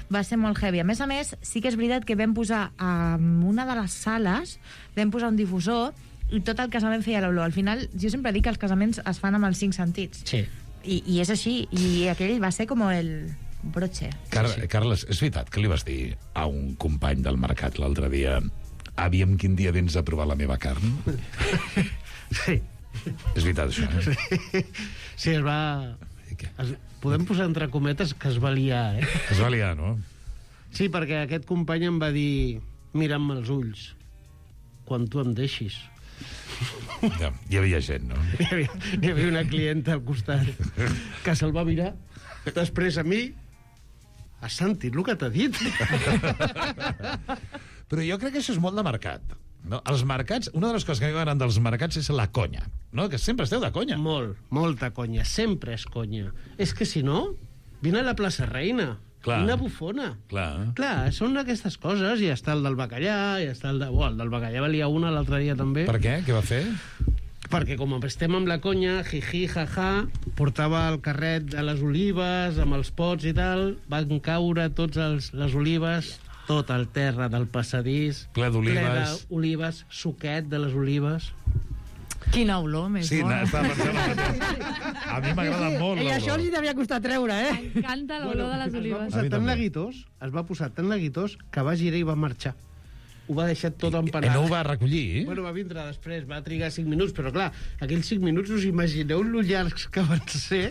va ser molt heavy. A més a més, sí que és veritat que vam posar en una de les sales, vam posar un difusor i tot el casament feia l'olor. Al final, jo sempre dic que els casaments es fan amb els cinc sentits. Sí. I, i és així. I aquell va ser com el broche. Car sí, sí. Carles, és veritat que li vas dir a un company del mercat l'altre dia aviam quin dia vens a provar la meva carn? Sí. És veritat, això, eh? Sí, sí es va... Es... Podem posar entre cometes que es va liar, eh? Es va liar, no? Sí, perquè aquest company em va dir mira'm els ulls quan tu em deixis. Ja, hi havia gent, no? Hi havia, hi havia una clienta al costat que se'l va mirar. Després a mi, has sentit el que t'ha dit? Però jo crec que això és molt de mercat. No? Els mercats, una de les coses que a mi m'agraden dels mercats és la conya, no? Que sempre esteu de conya. Molt, molta conya, sempre és conya. És que si no, vine a la plaça Reina. Clar. Una bufona. Clar. Clar, són aquestes coses, i està el del bacallà, i està el de... Oh, el del bacallà valia una l'altre dia també. Per què? Què va fer? Perquè com estem amb la conya, jiji, jaja, portava el carret de les olives, amb els pots i tal, van caure tots els, les olives, tot el terra del passadís, ple d'olives, ple d'olives, suquet de les olives. Quina olor més sí, bona. Sí, a mi m'agrada molt l'olor. I això li devia costar treure, eh? M'encanta l'olor bueno, de les olives. Es va posar tan neguitós, es va posar tan neguitós que va girar i va marxar. Ho va deixar tot empanat. I no ho va recollir? Bueno, va vindre després, va trigar cinc minuts, però clar, aquells cinc minuts us imagineu lo llargs que van ser.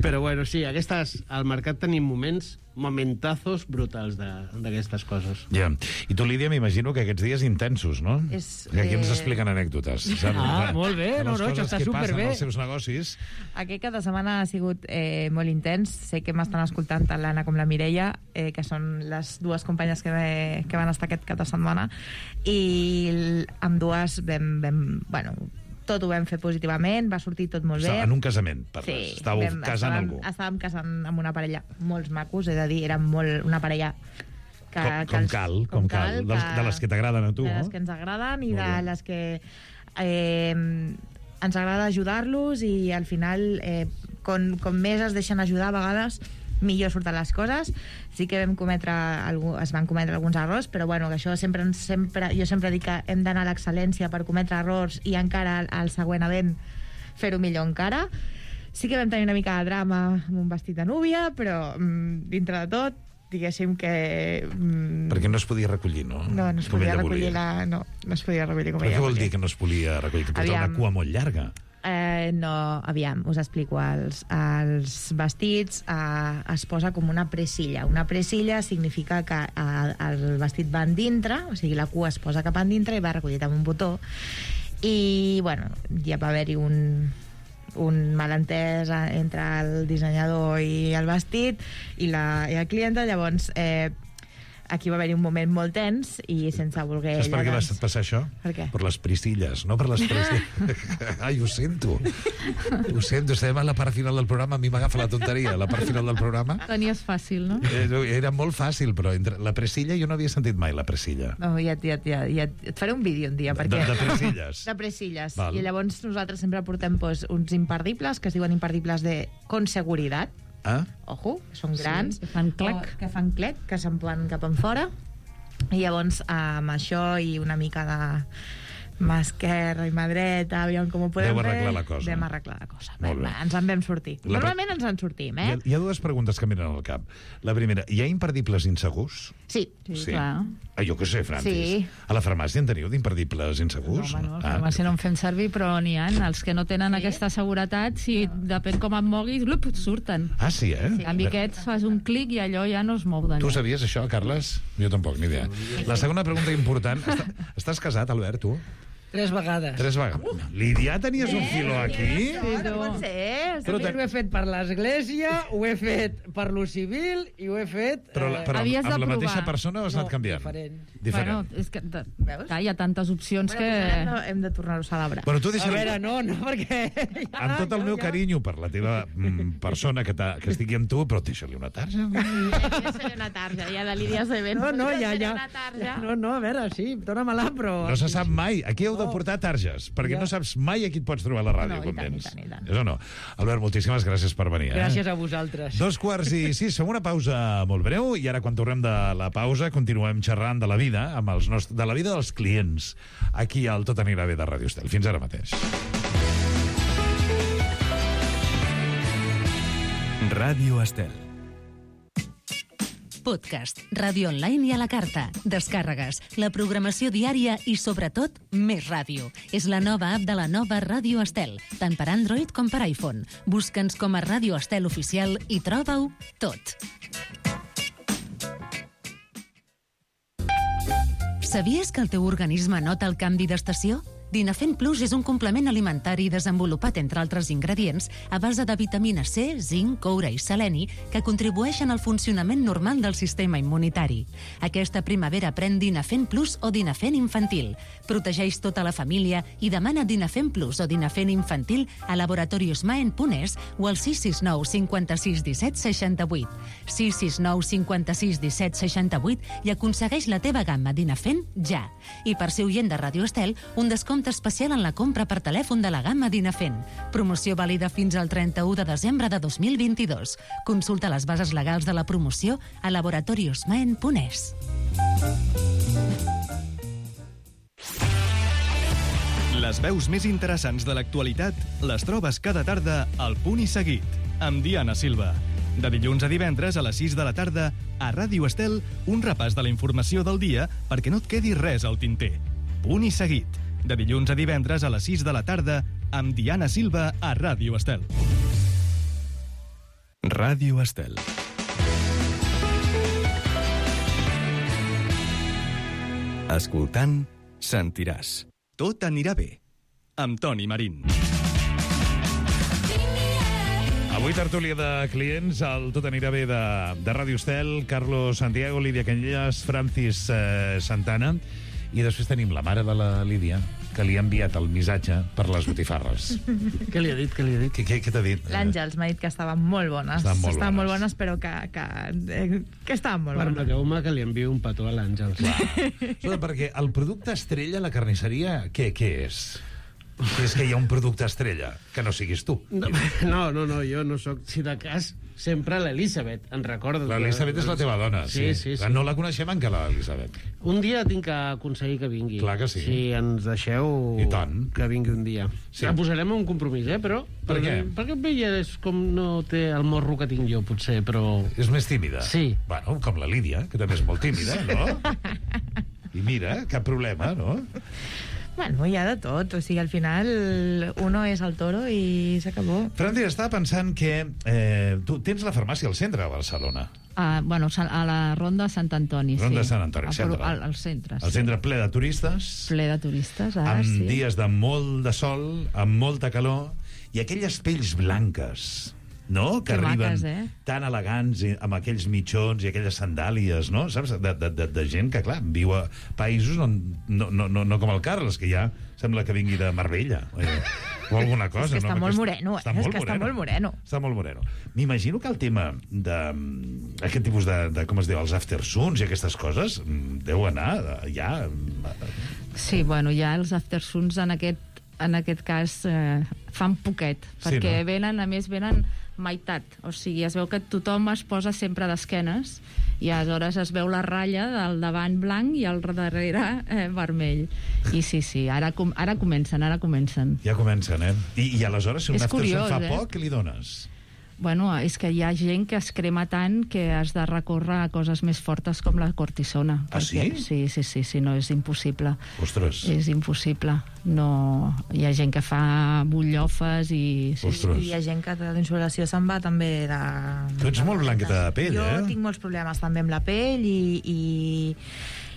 Però bueno, sí, aquestes, al mercat tenim moments, momentazos brutals d'aquestes coses. Ja. I tu, Lídia, m'imagino que aquests dies intensos, no? És, que aquí ens eh... expliquen anècdotes. Saps? Ah, molt bé, no, no, això està superbé. Els seus negocis. Aquest cap de setmana ha sigut eh, molt intens. Sé que m'estan escoltant tant l'Anna com la Mireia, eh, que són les dues companyes que, ve, que van estar aquest cap de setmana, i amb dues vam, vam, bueno, tot ho vam fer positivament, va sortir tot molt bé. En un casament, parles. Sí, Estàveu vam, casant estàvem, algú. Estàvem casant amb una parella molts macos, és a dir, érem molt, una parella que, com, que com els, cal, com, com cal, cal de, de les que t'agraden a tu, de no? les que ens agraden i de les que eh, ens agrada ajudar-los, i al final eh, com, com més es deixen ajudar a vegades millor surten les coses. Sí que vam cometre algú, es van cometre alguns errors, però bueno, que això sempre, sempre jo sempre dic que hem d'anar a l'excel·lència per cometre errors i encara al, al següent event fer-ho millor encara. Sí que vam tenir una mica de drama amb un vestit de núvia, però mm, dintre de tot diguéssim que... Mm, perquè no es podia recollir, no? No, no es podia recollir la... No, no es podia recollir com però ella. Què vol dir que no es podia recollir? Que portava una cua molt llarga? Eh, no, aviam, us explico. Els, els vestits eh, es posa com una presilla. Una presilla significa que eh, el vestit va en dintre, o sigui, la cua es posa cap en dintre i va recollit amb un botó. I, bueno, ja va haver-hi un, un malentès entre el dissenyador i el vestit i la, i la clienta. Llavors, eh, aquí va haver-hi un moment molt tens i sense voler... Saps per què va passar això? Per què? Per les priscilles, no per les priscilles. Ai, ho sento. Ho sento, estem a la part final del programa, a mi m'agafa la tonteria, la part final del programa. Tenies fàcil, no? Era molt fàcil, però entre la presilla jo no havia sentit mai la presilla. No, ja, ja, ja, ja et faré un vídeo un dia, perquè... De, de presilles? De presilles. Val. I llavors nosaltres sempre portem pues, uns imperdibles, que es diuen imperdibles de con seguridad. Ah? Ojo, que són grans. Sí, que fan clec. O, que fan clec, que se'n poden cap en fora. I llavors, amb això i una mica de mà esquerra i mà dreta, aviam com ho podem Deu fer. arreglar la cosa. Vam arreglar la cosa. Molt bé. Va, ens en vam sortir. La... Normalment ens en sortim, eh? Hi ha, hi ha dues preguntes que miren al cap. La primera, hi ha imperdibles insegurs? Sí. Sí, sí. Clar. Ah, jo què sé, Francis. Sí. A la farmàcia en teniu d'imperdibles insegurs? No, home, no, ah. a la farmàcia no en fem servir, però n'hi ha. Els que no tenen sí. aquesta seguretat, si depèn com et moguis, blup, surten. Ah, sí, eh? Sí. En canvi, aquests fas un clic i allò ja no es mou d'allà. Tu sabies això, Carles? Jo tampoc, ni idea. La segona pregunta important... Està, estàs casat, Albert, tu? Tres vegades. Tres vegades. Lídia, tenies un filó aquí? No, no pot ser. Però ho he fet per l'església, ho he fet per lo civil i ho he fet... Però, la, però Havies amb de la provar. mateixa persona o has anat No, canviant? diferent. Diferent. Bueno, és que de, clar, hi ha tantes opcions Bueno, que... pues hem de, hem de tornar-ho a celebrar. Bueno, tu A deixa'm... veure, no, no, perquè... Amb tot el meu carinyo per la teva mm, persona que, que estigui amb tu, però deixa-li una tarja. Deixa-li una tarja, ja de Lídia Seven. No, no, ja, ja. Una tarja. No, no, a veure, sí, dóna-me-la, però... No se sap mai. Aquí heu de portar targes, perquè Ja. no saps mai a qui et pots trobar a la ràdio No, i quan tant, i vens. tant, i tant. És o no? Albert, moltíssimes gràcies per venir. Eh? Gràcies a vosaltres. Dos quarts i sis, fem una pausa molt breu i ara quan tornem de la pausa continuem xerrant de la vida, amb els nostres, de la vida dels clients, aquí al Tot anirà bé de Ràdio Estel. Fins ara mateix. Ràdio Estel. Podcast, ràdio online i a la carta, descàrregues, la programació diària i, sobretot, més ràdio. És la nova app de la nova Ràdio Estel, tant per Android com per iPhone. Busca'ns com a Ràdio Estel Oficial i troba-ho tot. Sabies que el teu organisme nota el canvi d'estació? Dinafent Plus és un complement alimentari desenvolupat, entre altres ingredients, a base de vitamina C, zinc, coure i seleni, que contribueixen al funcionament normal del sistema immunitari. Aquesta primavera pren Dinafent Plus o Dinafent Infantil. Protegeix tota la família i demana Dinafent Plus o Dinafent Infantil a Laboratorios Maen punt es o al sis sis nou cinquanta-sis disset seixanta-vuit. sis sis nou cinquanta-sis disset seixanta-vuit i aconsegueix la teva gamma Dinafent ja. I per ser oient de Ràdio Estel, un descompte especial en la compra per telèfon de la gamma Dinafent. Promoció vàlida fins al trenta-u de desembre de dos mil vint-i-dos. Consulta les bases legals de la promoció a laboratorios maen punt es. Les veus més interessants de l'actualitat les trobes cada tarda al Punt i Seguit, amb Diana Silva. De dilluns a divendres a les sis de la tarda, a Ràdio Estel, un repàs de la informació del dia perquè no et quedi res al tinter. Punt i Seguit. De dilluns a divendres a les sis de la tarda, amb Diana Silva a Ràdio Estel. Ràdio Estel. Escoltant, sentiràs. Tot anirà bé. Amb Toni Marín. Avui tertúlia de clients, el Tot anirà bé de, de Ràdio Estel, Carlos Santiago, Lídia Canyelles, Francis eh, Santana, i després tenim la mare de la Lídia, que li ha enviat el missatge per les botifarres. Què li ha dit? Què li ha dit? Què, què, què t'ha dit? L'Àngels m'ha dit que estaven molt bones. Estaven molt estaven bones. molt bones, però que, que, eh, que estaven molt bones. Permeteu-me que li envio un petó a l'Àngels. Escolta, perquè el producte estrella a la carnisseria, què, què és? És que hi ha un producte estrella, que no siguis tu. No, no, no, no jo no sóc, si de cas, sempre l'Elisabet, en recordes? L'Elisabet és la teva dona, sí. Sí, sí, sí. No la coneixem encara, l'Elisabet. Un dia tinc que aconseguir que vingui. Clar que sí. Si ens deixeu I tant. que vingui un dia. Sí. La posarem un compromís, eh, però... Per què? Perquè ella és com no té el morro que tinc jo, potser, però... És més tímida? Sí. Bueno, com la Lídia, que també és molt tímida, no? I mira, cap problema, no? Bueno, hi ha de tot. O sigui, al final, uno és el toro i s'acabó. Francis, estava pensant que eh, tu tens la farmàcia al centre de Barcelona. Uh, bueno, a la Ronda Sant Antoni, Ronda sí. Sant Antoni, al, centre. al, al centre, El sí. centre ple de turistes, Ple de turistes, ara amb sí. dies de molt de sol, amb molta calor, i aquelles pells blanques no? Que, que arriben maques, eh? tan elegants, i, amb aquells mitjons i aquelles sandàlies, no? Saps? De, de, de, de gent que, clar, viu a països on, no, no, no, no com el Carles, que ja sembla que vingui de Marbella, eh? O alguna cosa. És que està no? molt moreno, eh? Està És molt que està moreno. molt moreno. Està molt moreno. M'imagino que el tema d'aquest tipus de, de, com es diu, els aftersuns i aquestes coses, deu anar ja... Sí, bueno, ja els aftersuns en aquest, en aquest cas eh, fan poquet, Sí, perquè no? venen, a més, venen meitat. O sigui, es veu que tothom es posa sempre d'esquenes i aleshores es veu la ratlla del davant blanc i el darrere eh, vermell. I sí, sí, ara, com, ara comencen, ara comencen. Ja comencen, eh? I, i aleshores, si un És aftersun curiós, fa eh? poc, què li dones? Bueno, és que hi ha gent que es crema tant que has de recórrer a coses més fortes com la cortisona. Ah, perquè, sí? Sí, sí, sí, sí, no, és impossible. Ostres. És impossible. No... Hi ha gent que fa butllofes i... Sí, Ostres. I hi ha gent que de l'insolació se'n va també de... Tu ets molt blanqueta de pell, jo eh? Jo tinc molts problemes també amb la pell i... i...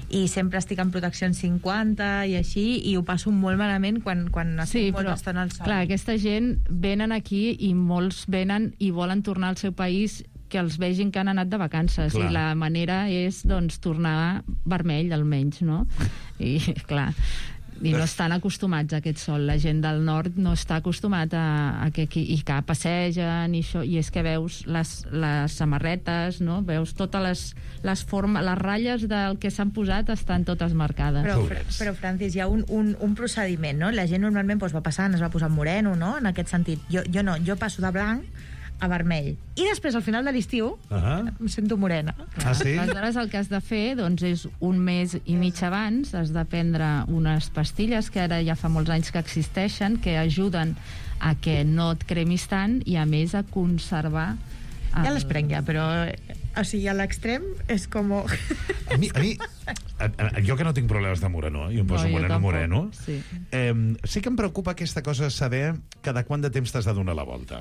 i sempre estic en protecció en cinquanta i així, i ho passo molt malament quan, quan estic Sí, molt però, estona al sol. clar, aquesta gent venen aquí i molts venen i volen tornar al seu país que els vegin que han anat de vacances. Clar. I la manera és, doncs, tornar vermell, almenys, no? I, clar, i no estan acostumats a aquest sol. La gent del nord no està acostumat a, a que, i que passegen i això, i és que veus les, les samarretes, no? Veus totes les, les formes, les ratlles del que s'han posat estan totes marcades. Però, però Francis, hi ha un, un, un procediment, no? La gent normalment doncs, va passant, es va posar moreno, no? En aquest sentit. Jo, jo no, jo passo de blanc a vermell. I després, al final de l'estiu, uh-huh. em sento morena. Ah, sí? Aleshores, el que has de fer doncs, és un mes i mig abans has de prendre unes pastilles que ara ja fa molts anys que existeixen, que ajuden a que no et cremis tant i, a més, a conservar... El... Ja les prenc ja, però... O sigui, a l'extrem és com... A mi, a mi a, a, jo que no tinc problemes de moreno, jo em poso No, jo moreno, tampoc, moreno, sí. eh, sí que em preocupa aquesta cosa de saber cada quant de temps t'has de donar la volta.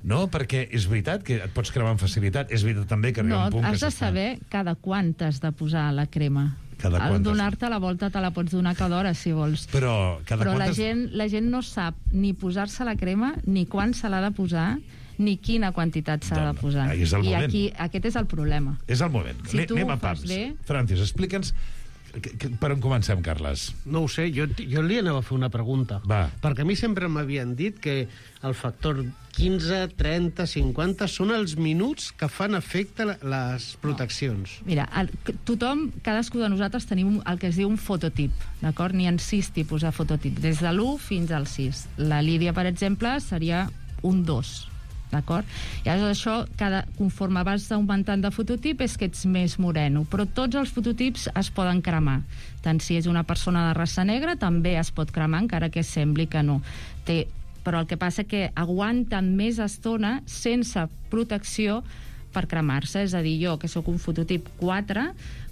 No? Perquè és veritat que et pots cremar amb facilitat, és veritat també que arriba No, un punt has que de saber cada quant t'has de posar la crema. Cada Al quant t'has- donar-te la volta te la pots donar cada hora, si vols. Però cada Però la quantes... gent, la gent no sap ni posar-se la crema, ni quan se l'ha de posar, ni quina quantitat s'ha de posar. ahí és el I moment. aquí, aquest és el problema. És el moment. Si tu Anem ho a fas pams. bé... Francis, explica'ns que, que, per on comencem, Carles. No ho sé, jo, jo li anava a fer una pregunta. Va. Perquè a mi sempre m'havien dit que el factor quinze, trenta, cinquanta són els minuts que fan efecte la- les proteccions. Mira, el, tothom, cadascú de nosaltres tenim el que es diu un fototip, d'acord? N'hi ha sis tipus de fototip, des de l'u fins al sis. La Lídia, per exemple, seria un dos, d'acord? I aleshores això, cada, conforme vas augmentant de fototip, és que ets més moreno, però tots els fototips es poden cremar. Tant si és una persona de raça negra, també es pot cremar, encara que sembli que no. Té, però el que passa que aguanten més estona sense protecció per cremar-se. És a dir, jo, que sóc un fototip quatre,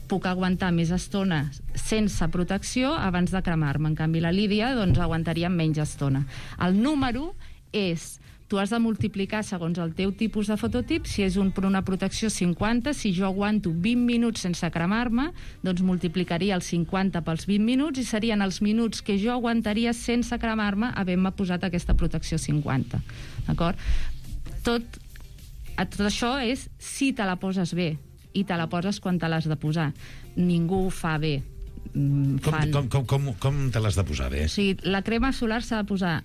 puc aguantar més estona sense protecció abans de cremar-me. En canvi, la Lídia, doncs, aguantaria menys estona. El número és... Tu has de multiplicar segons el teu tipus de fototip. Si és un, per una protecció cinquanta, si jo aguanto vint minuts sense cremar-me, doncs multiplicaria el cinquanta pels vint minuts i serien els minuts que jo aguantaria sense cremar-me havent-me posat aquesta protecció cinquanta. D'acord? Tot, tot això és si te la poses bé i te la poses quan te l'has de posar. Ningú ho fa bé. Mm, Com, fan... com, com, com, com te l'has de posar bé? O sigui, la crema solar s'ha de posar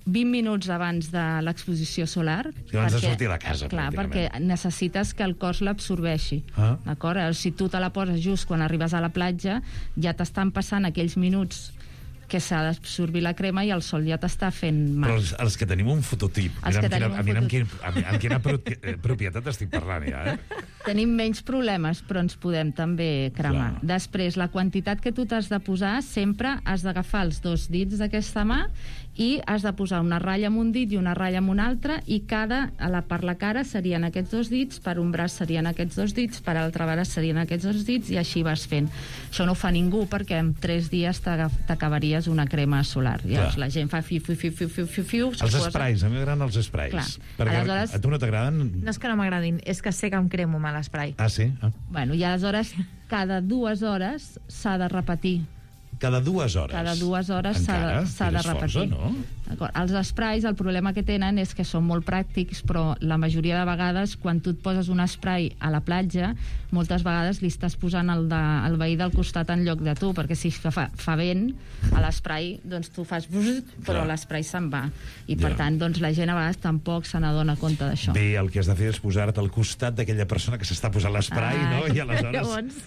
vint minuts abans de l'exposició solar. Sí, abans de sortir de casa, Clar, perquè pràcticament. necessites que el cos l'absorbeixi. Ah. D'acord? Si tu te la poses just quan arribes a la platja, ja t'estan passant aquells minuts que s'ha d'absorbir la crema i el sol ja t'està fent mal. Però els, els que tenim un fototip, Els mira, que amb quina, tenim un mira amb, quin, fototip. amb, amb quina pro, eh, propietat estic parlant ja, eh? Tenim menys problemes, però ens podem també cremar. Clar. Després, la quantitat que tu t'has de posar, sempre has d'agafar els dos dits d'aquesta mà i has de posar una ratlla amb un dit i una ratlla amb un altre, i cada, a la, per la cara serien aquests dos dits, per un braç serien aquests dos dits, per l'altre braç serien aquests dos dits, i així vas fent. Això no ho fa ningú, perquè en tres dies t'agaf- t'acabaries una crema solar. Llavors Clar. la gent fa fiu, fiu, fiu, fiu, fiu, fiu, fiu, se Els posa- sprays, a mi m'agraden els sprays. Clar. Perquè Aleshores- a tu no t'agraden? No és que no m'agradin, és que sé que em cremo mal l'esprai. Ah, sí? Ah. Bueno, i aleshores cada dues hores s'ha de repetir. Cada dues hores. Cada dues hores s'ha Encara? de, s'ha de Tires repetir. força, no? Els sprays, el problema que tenen és que són molt pràctics, però la majoria de vegades, quan tu et poses un spray a la platja, moltes vegades li estàs posant el, de, el veí del costat en lloc de tu, perquè si fa, fa vent a l'spray, doncs tu fas brrr, però l'spray se'n va. I per Ja. tant, doncs, la gent a vegades tampoc se n'adona compte d'això. Bé, el que has de fer és posar-te al costat d'aquella persona que s'està posant l'esprai, Ah, no? I aleshores... llavors,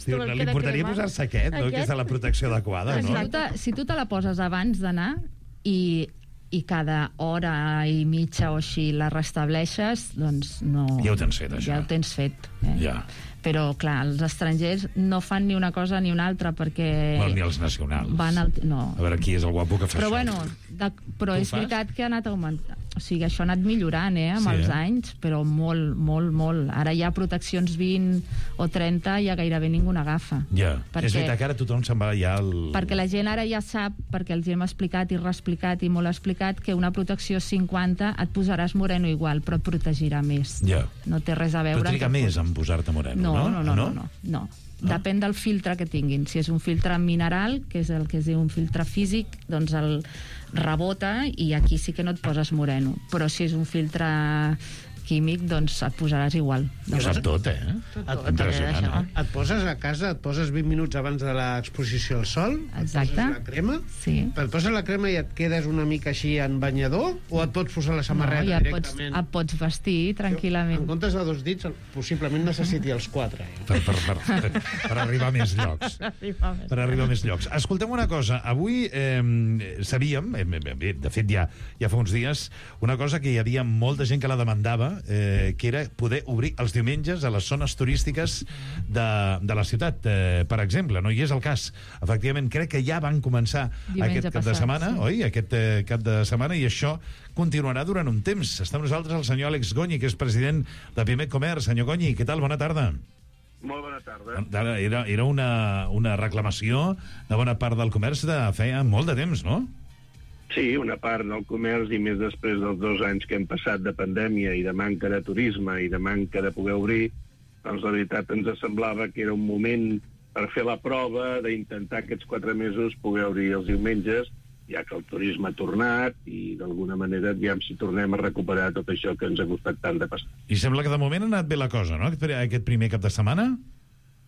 Diu, no li importaria posar-se aquest, no? Que és de la protecció adequada, no? Si tu, te, si tu te la poses abans d'anar i, i cada hora i mitja o així la restableixes, doncs no... Ja ho tens fet, això. Ja ho tens fet. Eh? Ja. Però, clar, els estrangers no fan ni una cosa ni una altra perquè... Bueno, ni els nacionals. Van al... No. A veure, qui és el guapo que fa Però, això? bueno, de... però Tu és fas? veritat que ha anat augmentant. O sigui, això ha anat millorant, eh, amb Sí, els eh? anys, però molt, molt, molt. Ara hi ha proteccions vint o trenta i ja gairebé ningú n'agafa. Ja, Perquè- és veritat que ara tothom se'n va ja al... Perquè la gent ara ja sap, perquè els hi hem explicat i reexplicat i molt explicat, que una protecció cinquanta et posaràs moreno igual, però et protegirà més. Ja. No té res a veure... Però triga amb que més en posar-te moreno, no, no? no, no, no, no, no. Depèn del filtre que tinguin. Si és un filtre mineral, que és el que es diu un filtre físic, doncs el rebota i aquí sí que no et poses moreno. Però si és un filtre químic, doncs et posaràs igual. Ho sap tot, eh? Et, Impressionant, eh? et poses a casa, et poses vint minuts abans de l'exposició al sol, Exacte. et poses la crema, sí. et poses la crema i et quedes una mica així en banyador, o et pots posar la samarreta no, ja et pots, directament? et pots vestir tranquil·lament. En comptes de dos dits, possiblement necessiti els quatre. Eh? Per, per, per, per arribar a més llocs. Per arribar a més llocs. Escoltem una cosa. Avui eh, sabíem, eh, bé, de fet ja, ja fa uns dies, una cosa que hi havia molta gent que la demandava, eh, que era poder obrir els diumenges a les zones turístiques de, de la ciutat. Eh, per exemple, no hi és el cas. Efectivament, crec que ja van començar Diumenge aquest cap de passat, setmana, sí. oi? Aquest eh, cap de setmana, i això continuarà durant un temps. Està amb nosaltres el senyor Àlex Gonyi, que és president de Pimec Comerç. Senyor Gonyi, què tal? Bona tarda. Molt bona tarda. Ara, Era, era una, una reclamació de bona part del comerç de feia molt de temps, no? Sí, una part del comerç, i més després dels dos anys que hem passat de pandèmia i de manca de turisme i de manca de poder obrir, doncs la veritat ens semblava que era un moment per fer la prova d'intentar aquests quatre mesos poder obrir els diumenges, ja que el turisme ha tornat i d'alguna manera aviam si tornem a recuperar tot això que ens ha costat tant de passar. I sembla que de moment ha anat bé la cosa, no? Aquest, aquest primer cap de setmana?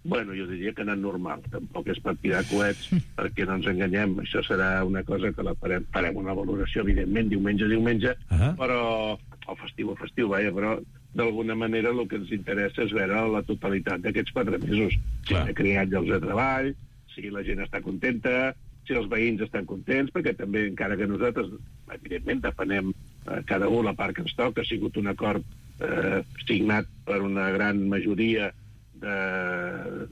Bueno, jo diria que ha anat normal. Tampoc és per tirar coets, perquè no ens enganyem. Això serà una cosa que la farem, farem una valoració, evidentment, diumenge a diumenge, uh -huh. però o festiu a festiu, vaja, però d'alguna manera el que ens interessa és veure la totalitat d'aquests quatre mesos. Si s'ha creat llocs de treball, si la gent està contenta, si els veïns estan contents, perquè també, encara que nosaltres, evidentment, depenem eh, cada un la part que ens toca, ha sigut un acord eh, signat per una gran majoria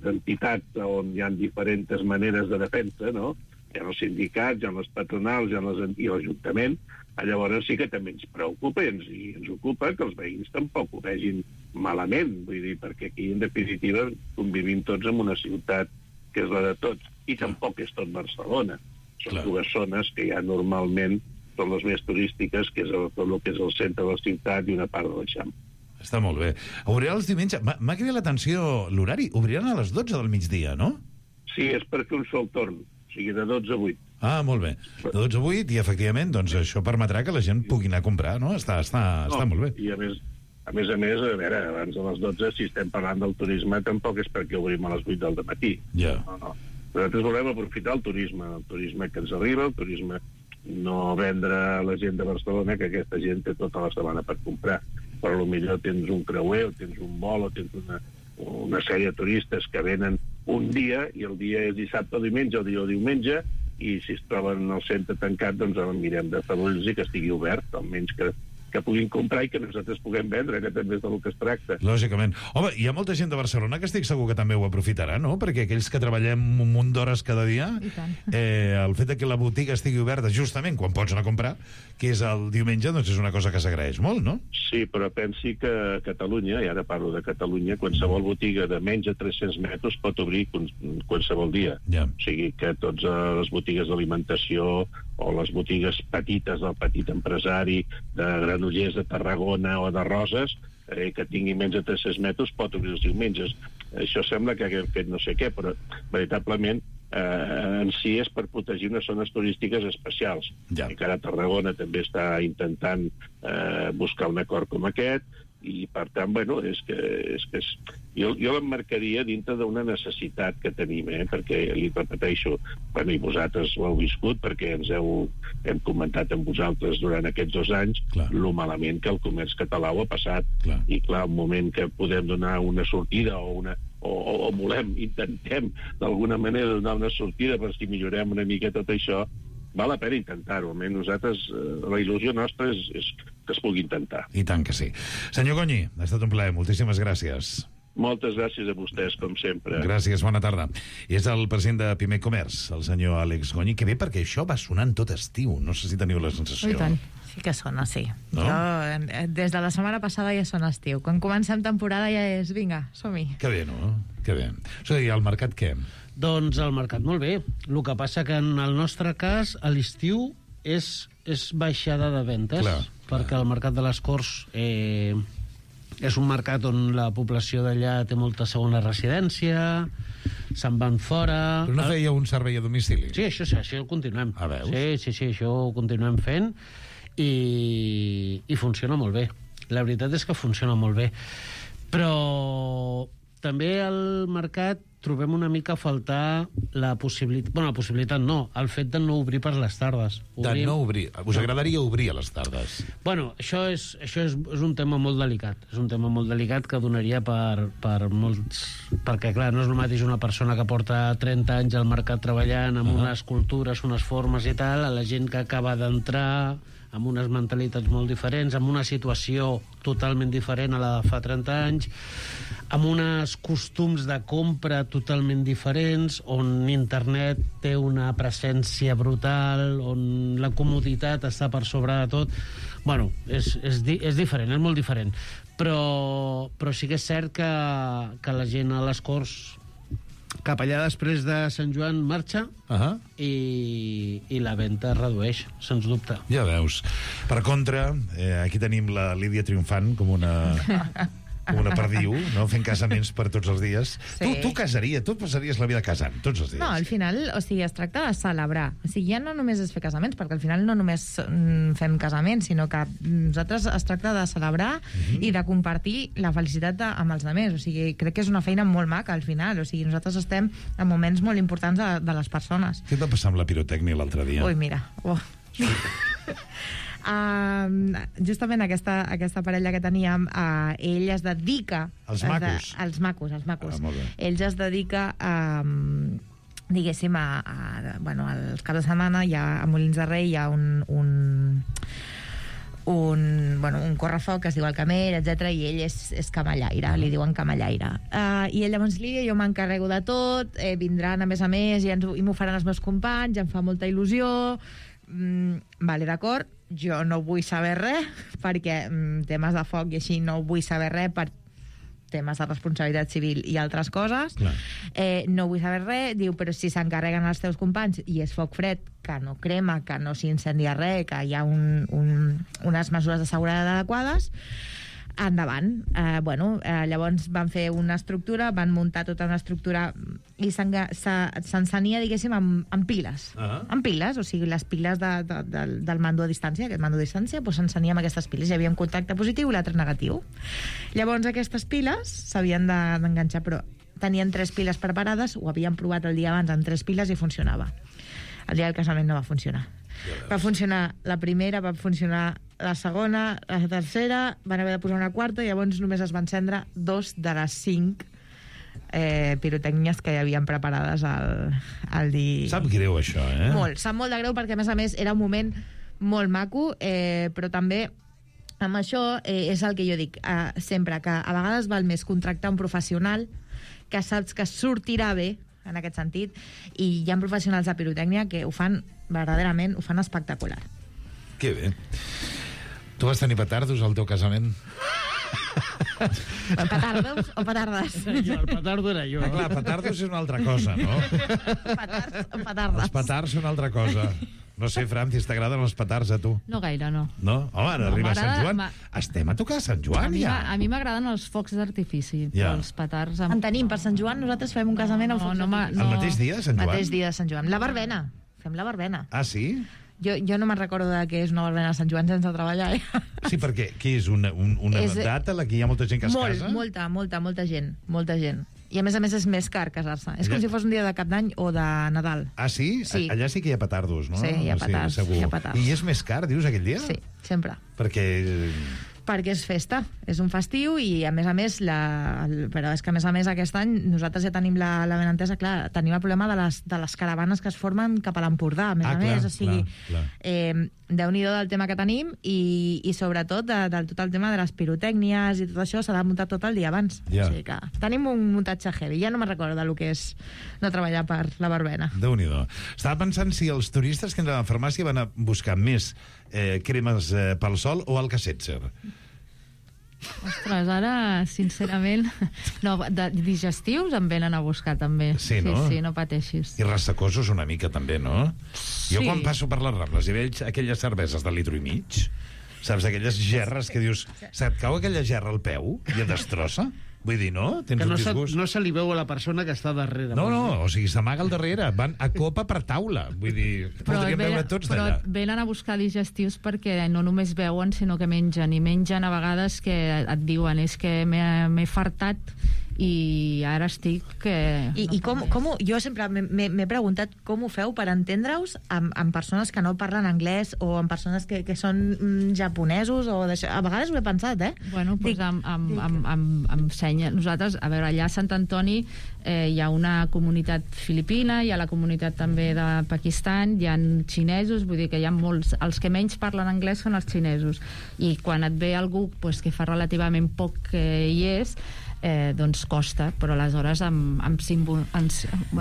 d'entitats on hi ha diferents maneres de defensa, no? Hi ha els sindicats, hi ha les patronals, hi ha les, i l'Ajuntament. Llavors sí que també ens preocupa i ens, i ens ocupa que els veïns tampoc ho vegin malament, vull dir, perquè aquí, en definitiva, convivim tots en una ciutat que és la de tots, i tampoc és tot Barcelona. Són Clar. dues zones que ja normalment són les més turístiques, que és el, tot el que és el centre de la ciutat i una part de l'Eixample. Està molt bé. Obriran els diumenges... M'ha cridat l'atenció l'horari. Obriran a les dotze del migdia, no? Sí, és per fer un sol torn. O sigui, de dotze a vuit. Ah, molt bé. De dotze a vuit, i efectivament, doncs això permetrà que la gent pugui anar a comprar, no? Està, està, no, està molt bé. I a més, a més a més, a veure, abans de les dotze, si estem parlant del turisme, tampoc és perquè obrim a les vuit del matí. Ja. No, no. Nosaltres volem aprofitar el turisme, el turisme que ens arriba, el turisme no vendre a la gent de Barcelona, que aquesta gent té tota la setmana per comprar. Però potser tens un creuer, o tens un vol, o tens una, una sèrie de turistes que venen un dia, i el dia és dissabte o diumenge, o dia o diumenge, i si es troben al centre tancat, doncs el mirem de fer-los i que estigui obert, almenys que, que puguin comprar i que nosaltres puguem vendre, que també és del que es tracta. Lògicament. Home, hi ha molta gent de Barcelona que estic segur que també ho aprofitarà, no? Perquè aquells que treballem un munt d'hores cada dia, eh, el fet de que la botiga estigui oberta justament quan pots anar a comprar, que és el diumenge, doncs és una cosa que s'agraeix molt, no? Sí, però pensi que a Catalunya, i ara parlo de Catalunya, qualsevol botiga de menys de tres-cents metres pot obrir qualsevol dia. Ja. O sigui que tots les botigues d'alimentació o les botigues petites del petit empresari de Granollers, de Tarragona o de Roses, eh, que tingui menys de tres-cents metres, pot obrir els diumenges. Això sembla que haguem fet no sé què, però veritablement eh, en si és per protegir unes zones turístiques especials. Ja. I que ara Tarragona també està intentant eh, buscar un acord com aquest, i per tant, bueno, és que, és que és... jo, jo l'emmarcaria dintre d'una necessitat que tenim, eh? Perquè li repeteixo, bueno, i vosaltres ho heu viscut, perquè ens heu, hem comentat amb vosaltres durant aquests dos anys clar. Lo malament que el comerç català ho ha passat. Clar. I clar, un moment que podem donar una sortida o una o, o, o volem, intentem d'alguna manera donar una sortida per si millorem una mica tot això, val la pena intentar-ho. Almenys nosaltres, eh, la il·lusió nostra és, és que es pugui intentar. I tant que sí. Senyor Goñi, ha estat un plaer. Moltíssimes gràcies. Moltes gràcies a vostès, com sempre. Gràcies, bona tarda. I és el president de Pimec Comerç, el senyor Àlex Goñi, que ve perquè això va sonant tot estiu. No sé si teniu la sensació. I tant. Sí que sona, sí. No? Jo, des de la setmana passada ja sona estiu. Quan comencem temporada ja és, vinga, som-hi. Que bé, no? Que bé. O sigui, el mercat què? Doncs el mercat molt bé. El que passa que en el nostre cas, a l'estiu és, és baixada de ventes, clar, perquè clar. El mercat de les Corts eh, és un mercat on la població d'allà té molta segona residència, se'n van fora... Però no feia un servei a domicili? Sí, això, sí, això ho continuem. Ah, veus? Sí, sí, sí, això ho continuem fent i, i funciona molt bé. La veritat és que funciona molt bé. Però també al mercat trobem una mica a faltar la possibilitat... Bueno, la possibilitat no, el fet de no obrir per les tardes. Obrim... De no obrir. Us agradaria obrir a les tardes? Bueno, això és, això és, és un tema molt delicat. És un tema molt delicat que donaria per, per molts... Perquè, clar, no és el mateix una persona que porta trenta anys al mercat treballant amb uh -huh. unes cultures, unes formes i tal, a la gent que acaba d'entrar amb unes mentalitats molt diferents, amb una situació totalment diferent a la de fa trenta anys, amb uns costums de compra totalment diferents, on internet té una presència brutal, on la comoditat està per sobre de tot. Bueno, és, és, di és diferent, és molt diferent. Però, però sí que és cert que, que la gent a les Corts cap allà després de Sant Joan marxa uh -huh. i, i la venda es redueix, sens dubte. Ja veus. Per contra, eh, aquí tenim la Lídia triomfant com una... com una perdiu, no? Fent casaments per tots els dies. Sí. Tu, tu casaries, tu passaries la vida casant, tots els dies. No, al final, o sigui, es tracta de celebrar. O sigui, ja no només és fer casaments, perquè al final no només mm, fem casaments, sinó que nosaltres es tracta de celebrar uh-huh. i de compartir la felicitat de, amb els altres. O sigui, crec que és una feina molt maca, al final. O sigui, nosaltres estem en moments molt importants de, de les persones. Què et va passar amb la pirotècnia l'altre dia? Ui, mira. Oh. Uh, justament aquesta, aquesta parella que teníem, uh, ell es dedica... Els macos? De, els macos, els macos. Ah, molt bé. Ell es dedica a... Um, diguéssim, a, a, bueno, als caps de setmana hi ha, a Molins de Rei hi ha un... un un, bueno, un correfoc que es diu el Camell, etcètera, i ell és, és camallaire, uh-huh. li diuen camallaire. Uh, I ell llavors li diu, jo m'encarrego de tot, eh, vindran a més a més i, ens, i m'ho faran els meus companys, em fa molta il·lusió... Mm, vale, d'acord, jo no vull saber res perquè mm, temes de foc i així no vull saber res per temes de responsabilitat civil i altres coses. Eh, no vull saber res. Diu, però si s'encarreguen els teus companys i és foc fred, que no crema, que no s'incendia res, que hi ha un, un, unes mesures de seguretat adequades, endavant. Eh, bueno, eh, llavors van fer una estructura, van muntar tota una estructura i s'encenia, diguéssim, amb, amb piles. Uh-huh. Amb piles, o sigui, les piles de, de, de, del mando a distància, aquest mando a distància, doncs s'encenia amb aquestes piles. Hi havia un contacte positiu i l'altre negatiu. Llavors aquestes piles s'havien d'enganxar, però tenien tres piles preparades, ho havien provat el dia abans amb tres piles i funcionava. El dia del casament no va funcionar. Va funcionar la primera, va funcionar la segona, la tercera, van haver de posar una quarta i llavors només es van encendre dos de les cinc eh, pirotècnies que hi havien preparades al, al dia. Sap greu, això, eh? Molt, sap molt de greu perquè, a més a més, era un moment molt maco, eh, però també amb això eh, és el que jo dic eh, sempre, que a vegades val més contractar un professional que saps que sortirà bé, en aquest sentit, i hi ha professionals de pirotècnia que ho fan verdaderament, ho fan espectacular. Que bé. Tu vas tenir petardos al teu casament? Petardos o petardes? Jo, el petardo era jo. Ah, clar, petardos és una altra cosa, no? Petards o petardes. Els petards són una altra cosa. No sé, Francis, t'agraden els petards a tu? No gaire, no. No? Home, ara No, arriba Sant Joan. m'agrada- Estem a tocar Sant A Joan, mi, ja. m'a- a mi m'agraden els focs d'artifici, Ja. però els petards... Amb... En tenim, per Sant Joan nosaltres fem un casament amb No, focs no, ma- d'artifici. El mateix dia de Sant Joan? Mateix dia de Sant Joan. La verbena. Fem la verbena. Ah, sí? Jo, jo no me'n recordo de què és una verbena de Sant Joan sense treballar, eh? Sí, perquè què és una, un, una És- data en la que hi ha molta gent que es Molt, casa? molta, molta, molta gent. Molta gent. I a més a més és més car casar-se. És com Ja. si fos un dia de Cap d'Any o de Nadal. Ah, sí? Sí. Allà sí que hi ha petardos, no? Sí, hi ha petards, segur. hi ha petards. I és més car, dius, aquell dia? Sí, sempre. Perquè... Perquè és festa, és un festiu i a més a més, la, el, però és que a més a més aquest any nosaltres ja tenim la, la ben entesa, clar, tenim el problema de les, de les caravanes que es formen cap a l'Empordà, a més Ah, a clar, més, o sigui, clar, clar. eh, Déu-n'hi-do del tema que tenim i, i sobretot de, del tot el tema de les pirotècnies i tot això s'ha de muntar tot el dia abans. Ja. O sigui que tenim un muntatge heavy, ja no me'n recordo del que és no treballar per la verbena. Déu-n'hi-do. Estava pensant si els turistes que entren a la farmàcia van a buscar més eh, cremes eh, pel sol o Alka-Seltzer. Ostres, ara, sincerament... No, de digestius em venen a buscar, també. Sí, no? Sí, sí, no pateixis. I rassecosos una mica, també, no? Sí. Jo quan passo per les Rambles i veig aquelles cerveses de litro i mig, saps, aquelles gerres que dius, se't cau aquella gerra al peu i et destrossa? Vull dir, no? Tens Que no un se, disgust. no se li veu a la persona que està darrere. No, no, o sigui, s'amaga al darrere. Van a copa per taula. Vull dir, podríem veure tots però d'allà. venen a buscar digestius perquè no només veuen, sinó que mengen. I mengen a vegades que et diuen és que m'he m'he fartat i ara estic que... I, i com, com ho, jo sempre m'he m'he preguntat com ho feu per entendre-us amb, amb persones que no parlen anglès o amb persones que, que són mm, japonesos o d'això. A vegades ho he pensat, eh? Bueno, doncs Dic- amb, amb, dic- amb, amb, amb senya. Nosaltres, a veure, allà a Sant Antoni eh, hi ha una comunitat filipina, hi ha la comunitat també de Pakistan, hi ha xinesos, vull dir que hi ha molts... Els que menys parlen anglès són els xinesos. I quan et ve algú pues, que fa relativament poc que hi és, eh, doncs costa, però aleshores amb, amb símbol... Amb,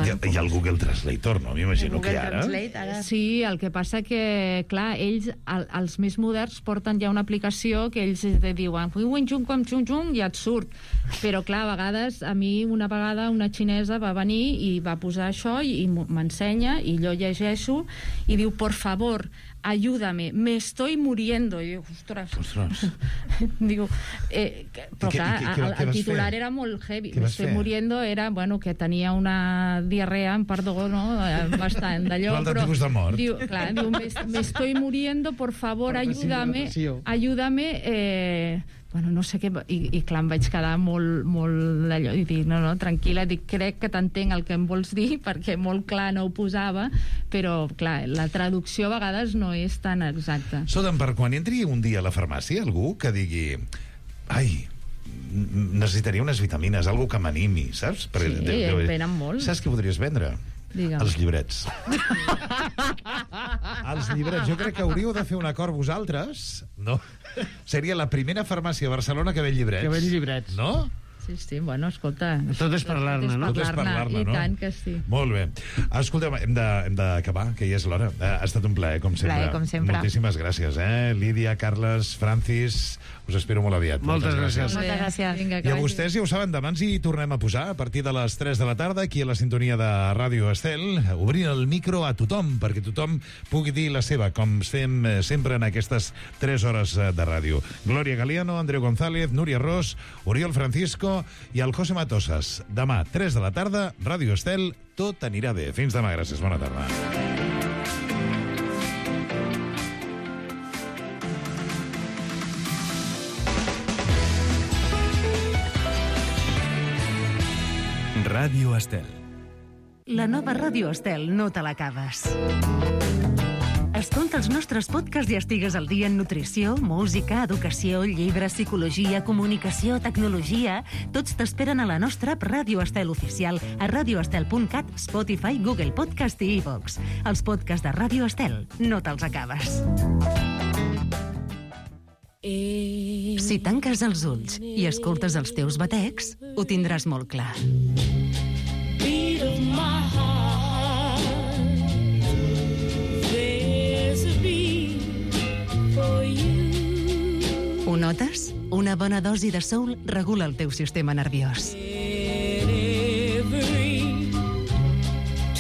Hi ha, hi ha el Google Translator, no? M'imagino que ara... ara... Sí, el que passa que, clar, ells, el, els més moderns, porten ja una aplicació que ells te diuen i ja et surt. Però, clar, a vegades, a mi una vegada una xinesa va venir i va posar això i, i m'ensenya, i jo llegeixo, i diu, por favor, ayúdame, me estoy muriendo. I diu, ostres... Ostres. diu, eh, que- però I què- clar, i què- què- el, què el vas titular fer? era molt heavy. Què Me vas estoy fer? muriendo era, bueno, que tenia una diarrea, em perdó, no? Eh, bastant d'allò, Un altre però... tipus de mort. Diu, clar, diu, me, me estoy muriendo, por favor, ayúdame, ayúdame, eh, bueno, no sé què, i, i clar, em vaig quedar molt, molt d'allò, i dic, no, no, tranquil·la, dic, crec que t'entenc el que em vols dir, perquè molt clar no ho posava, però, clar, la traducció a vegades no és tan exacta. Soden, per quan entri un dia a la farmàcia, algú que digui ai, n- necessitaria unes vitamines, algú que m'animi, saps? Sí, en venen molt. Saps què podries vendre? Digue'm. Els llibrets. Els llibrets. Jo crec que hauríeu de fer un acord vosaltres, no? Seria la primera farmàcia a Barcelona que ven llibrets. Que ven llibrets. No? Sí, sí, bueno, escolta... Tot és parlar-ne, no? Tot és parlar-ne, I no? tant que sí. Molt bé. Escolteu, hem de- hem d'acabar, que ja és l'hora. Eh, Ha estat un plaer, com sempre. Plaer, com sempre. Moltíssimes gràcies, eh? Lídia, Carles, Francis, us espero molt aviat. Moltes gràcies. Moltes gràcies. Vinga, I a vostès, ja ho saben, demà ens hi tornem a posar a partir de les tres de la tarda, aquí a la sintonia de Ràdio Estel, obrint el micro a tothom, perquè tothom pugui dir la seva, com fem eh, sempre en aquestes tres hores eh, de ràdio. Glòria Galiano, Andreu González, Núria Ros, Oriol Francisco i el José Matosas. Demà, tres de la tarda, Ràdio Estel, tot anirà bé. Fins demà, gràcies, bona tarda. Ràdio Estel. La nova Ràdio Estel no te l'acabes. Escolta els nostres podcasts i estigues al dia en nutrició, música, educació, llibres, psicologia, comunicació, tecnologia. Tots t'esperen a la nostra app Ràdio Estel oficial a radioestel punt cat, Spotify, Google Podcast i iVox. Els podcasts de Ràdio Estel no te'ls acabes. Si tanques els ulls i escoltes els teus batecs, ho tindràs molt clar. Beat of my heart, there's a beat for you. Ho notes? Una bona dosi de soul regula el teu sistema nerviós.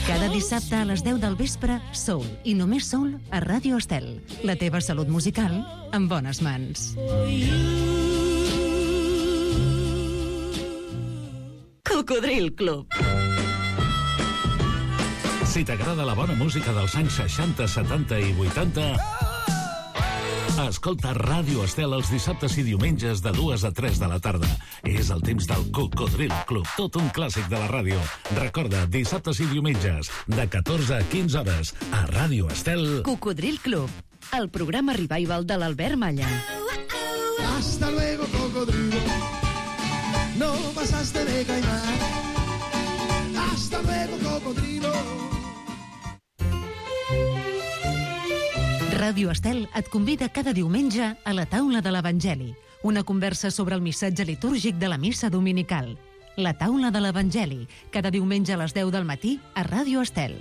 Cada dissabte a les deu del vespre, Soul, i només Soul a Ràdio Estel. La teva salut musical en bones mans. Cocodril Club. Si t'agrada la bona música dels anys seixanta, setanta i vuitanta, escolta Ràdio Estel els dissabtes i diumenges de dues a tres de la tarda. És el temps del Cocodril Club, tot un clàssic de la ràdio. Recorda, dissabtes i diumenges, de catorze a quinze hores, a Ràdio Estel. Cocodril Club, el programa revival de l'Albert Malla. Hasta luego, cocodrilo. No pasaste de caimán. Hasta luego, cocodrilo. Ràdio Estel et convida cada diumenge a la taula de l'Evangeli, una conversa sobre el missatge litúrgic de la missa dominical. La taula de l'Evangeli, cada diumenge a les deu del matí a Ràdio Estel.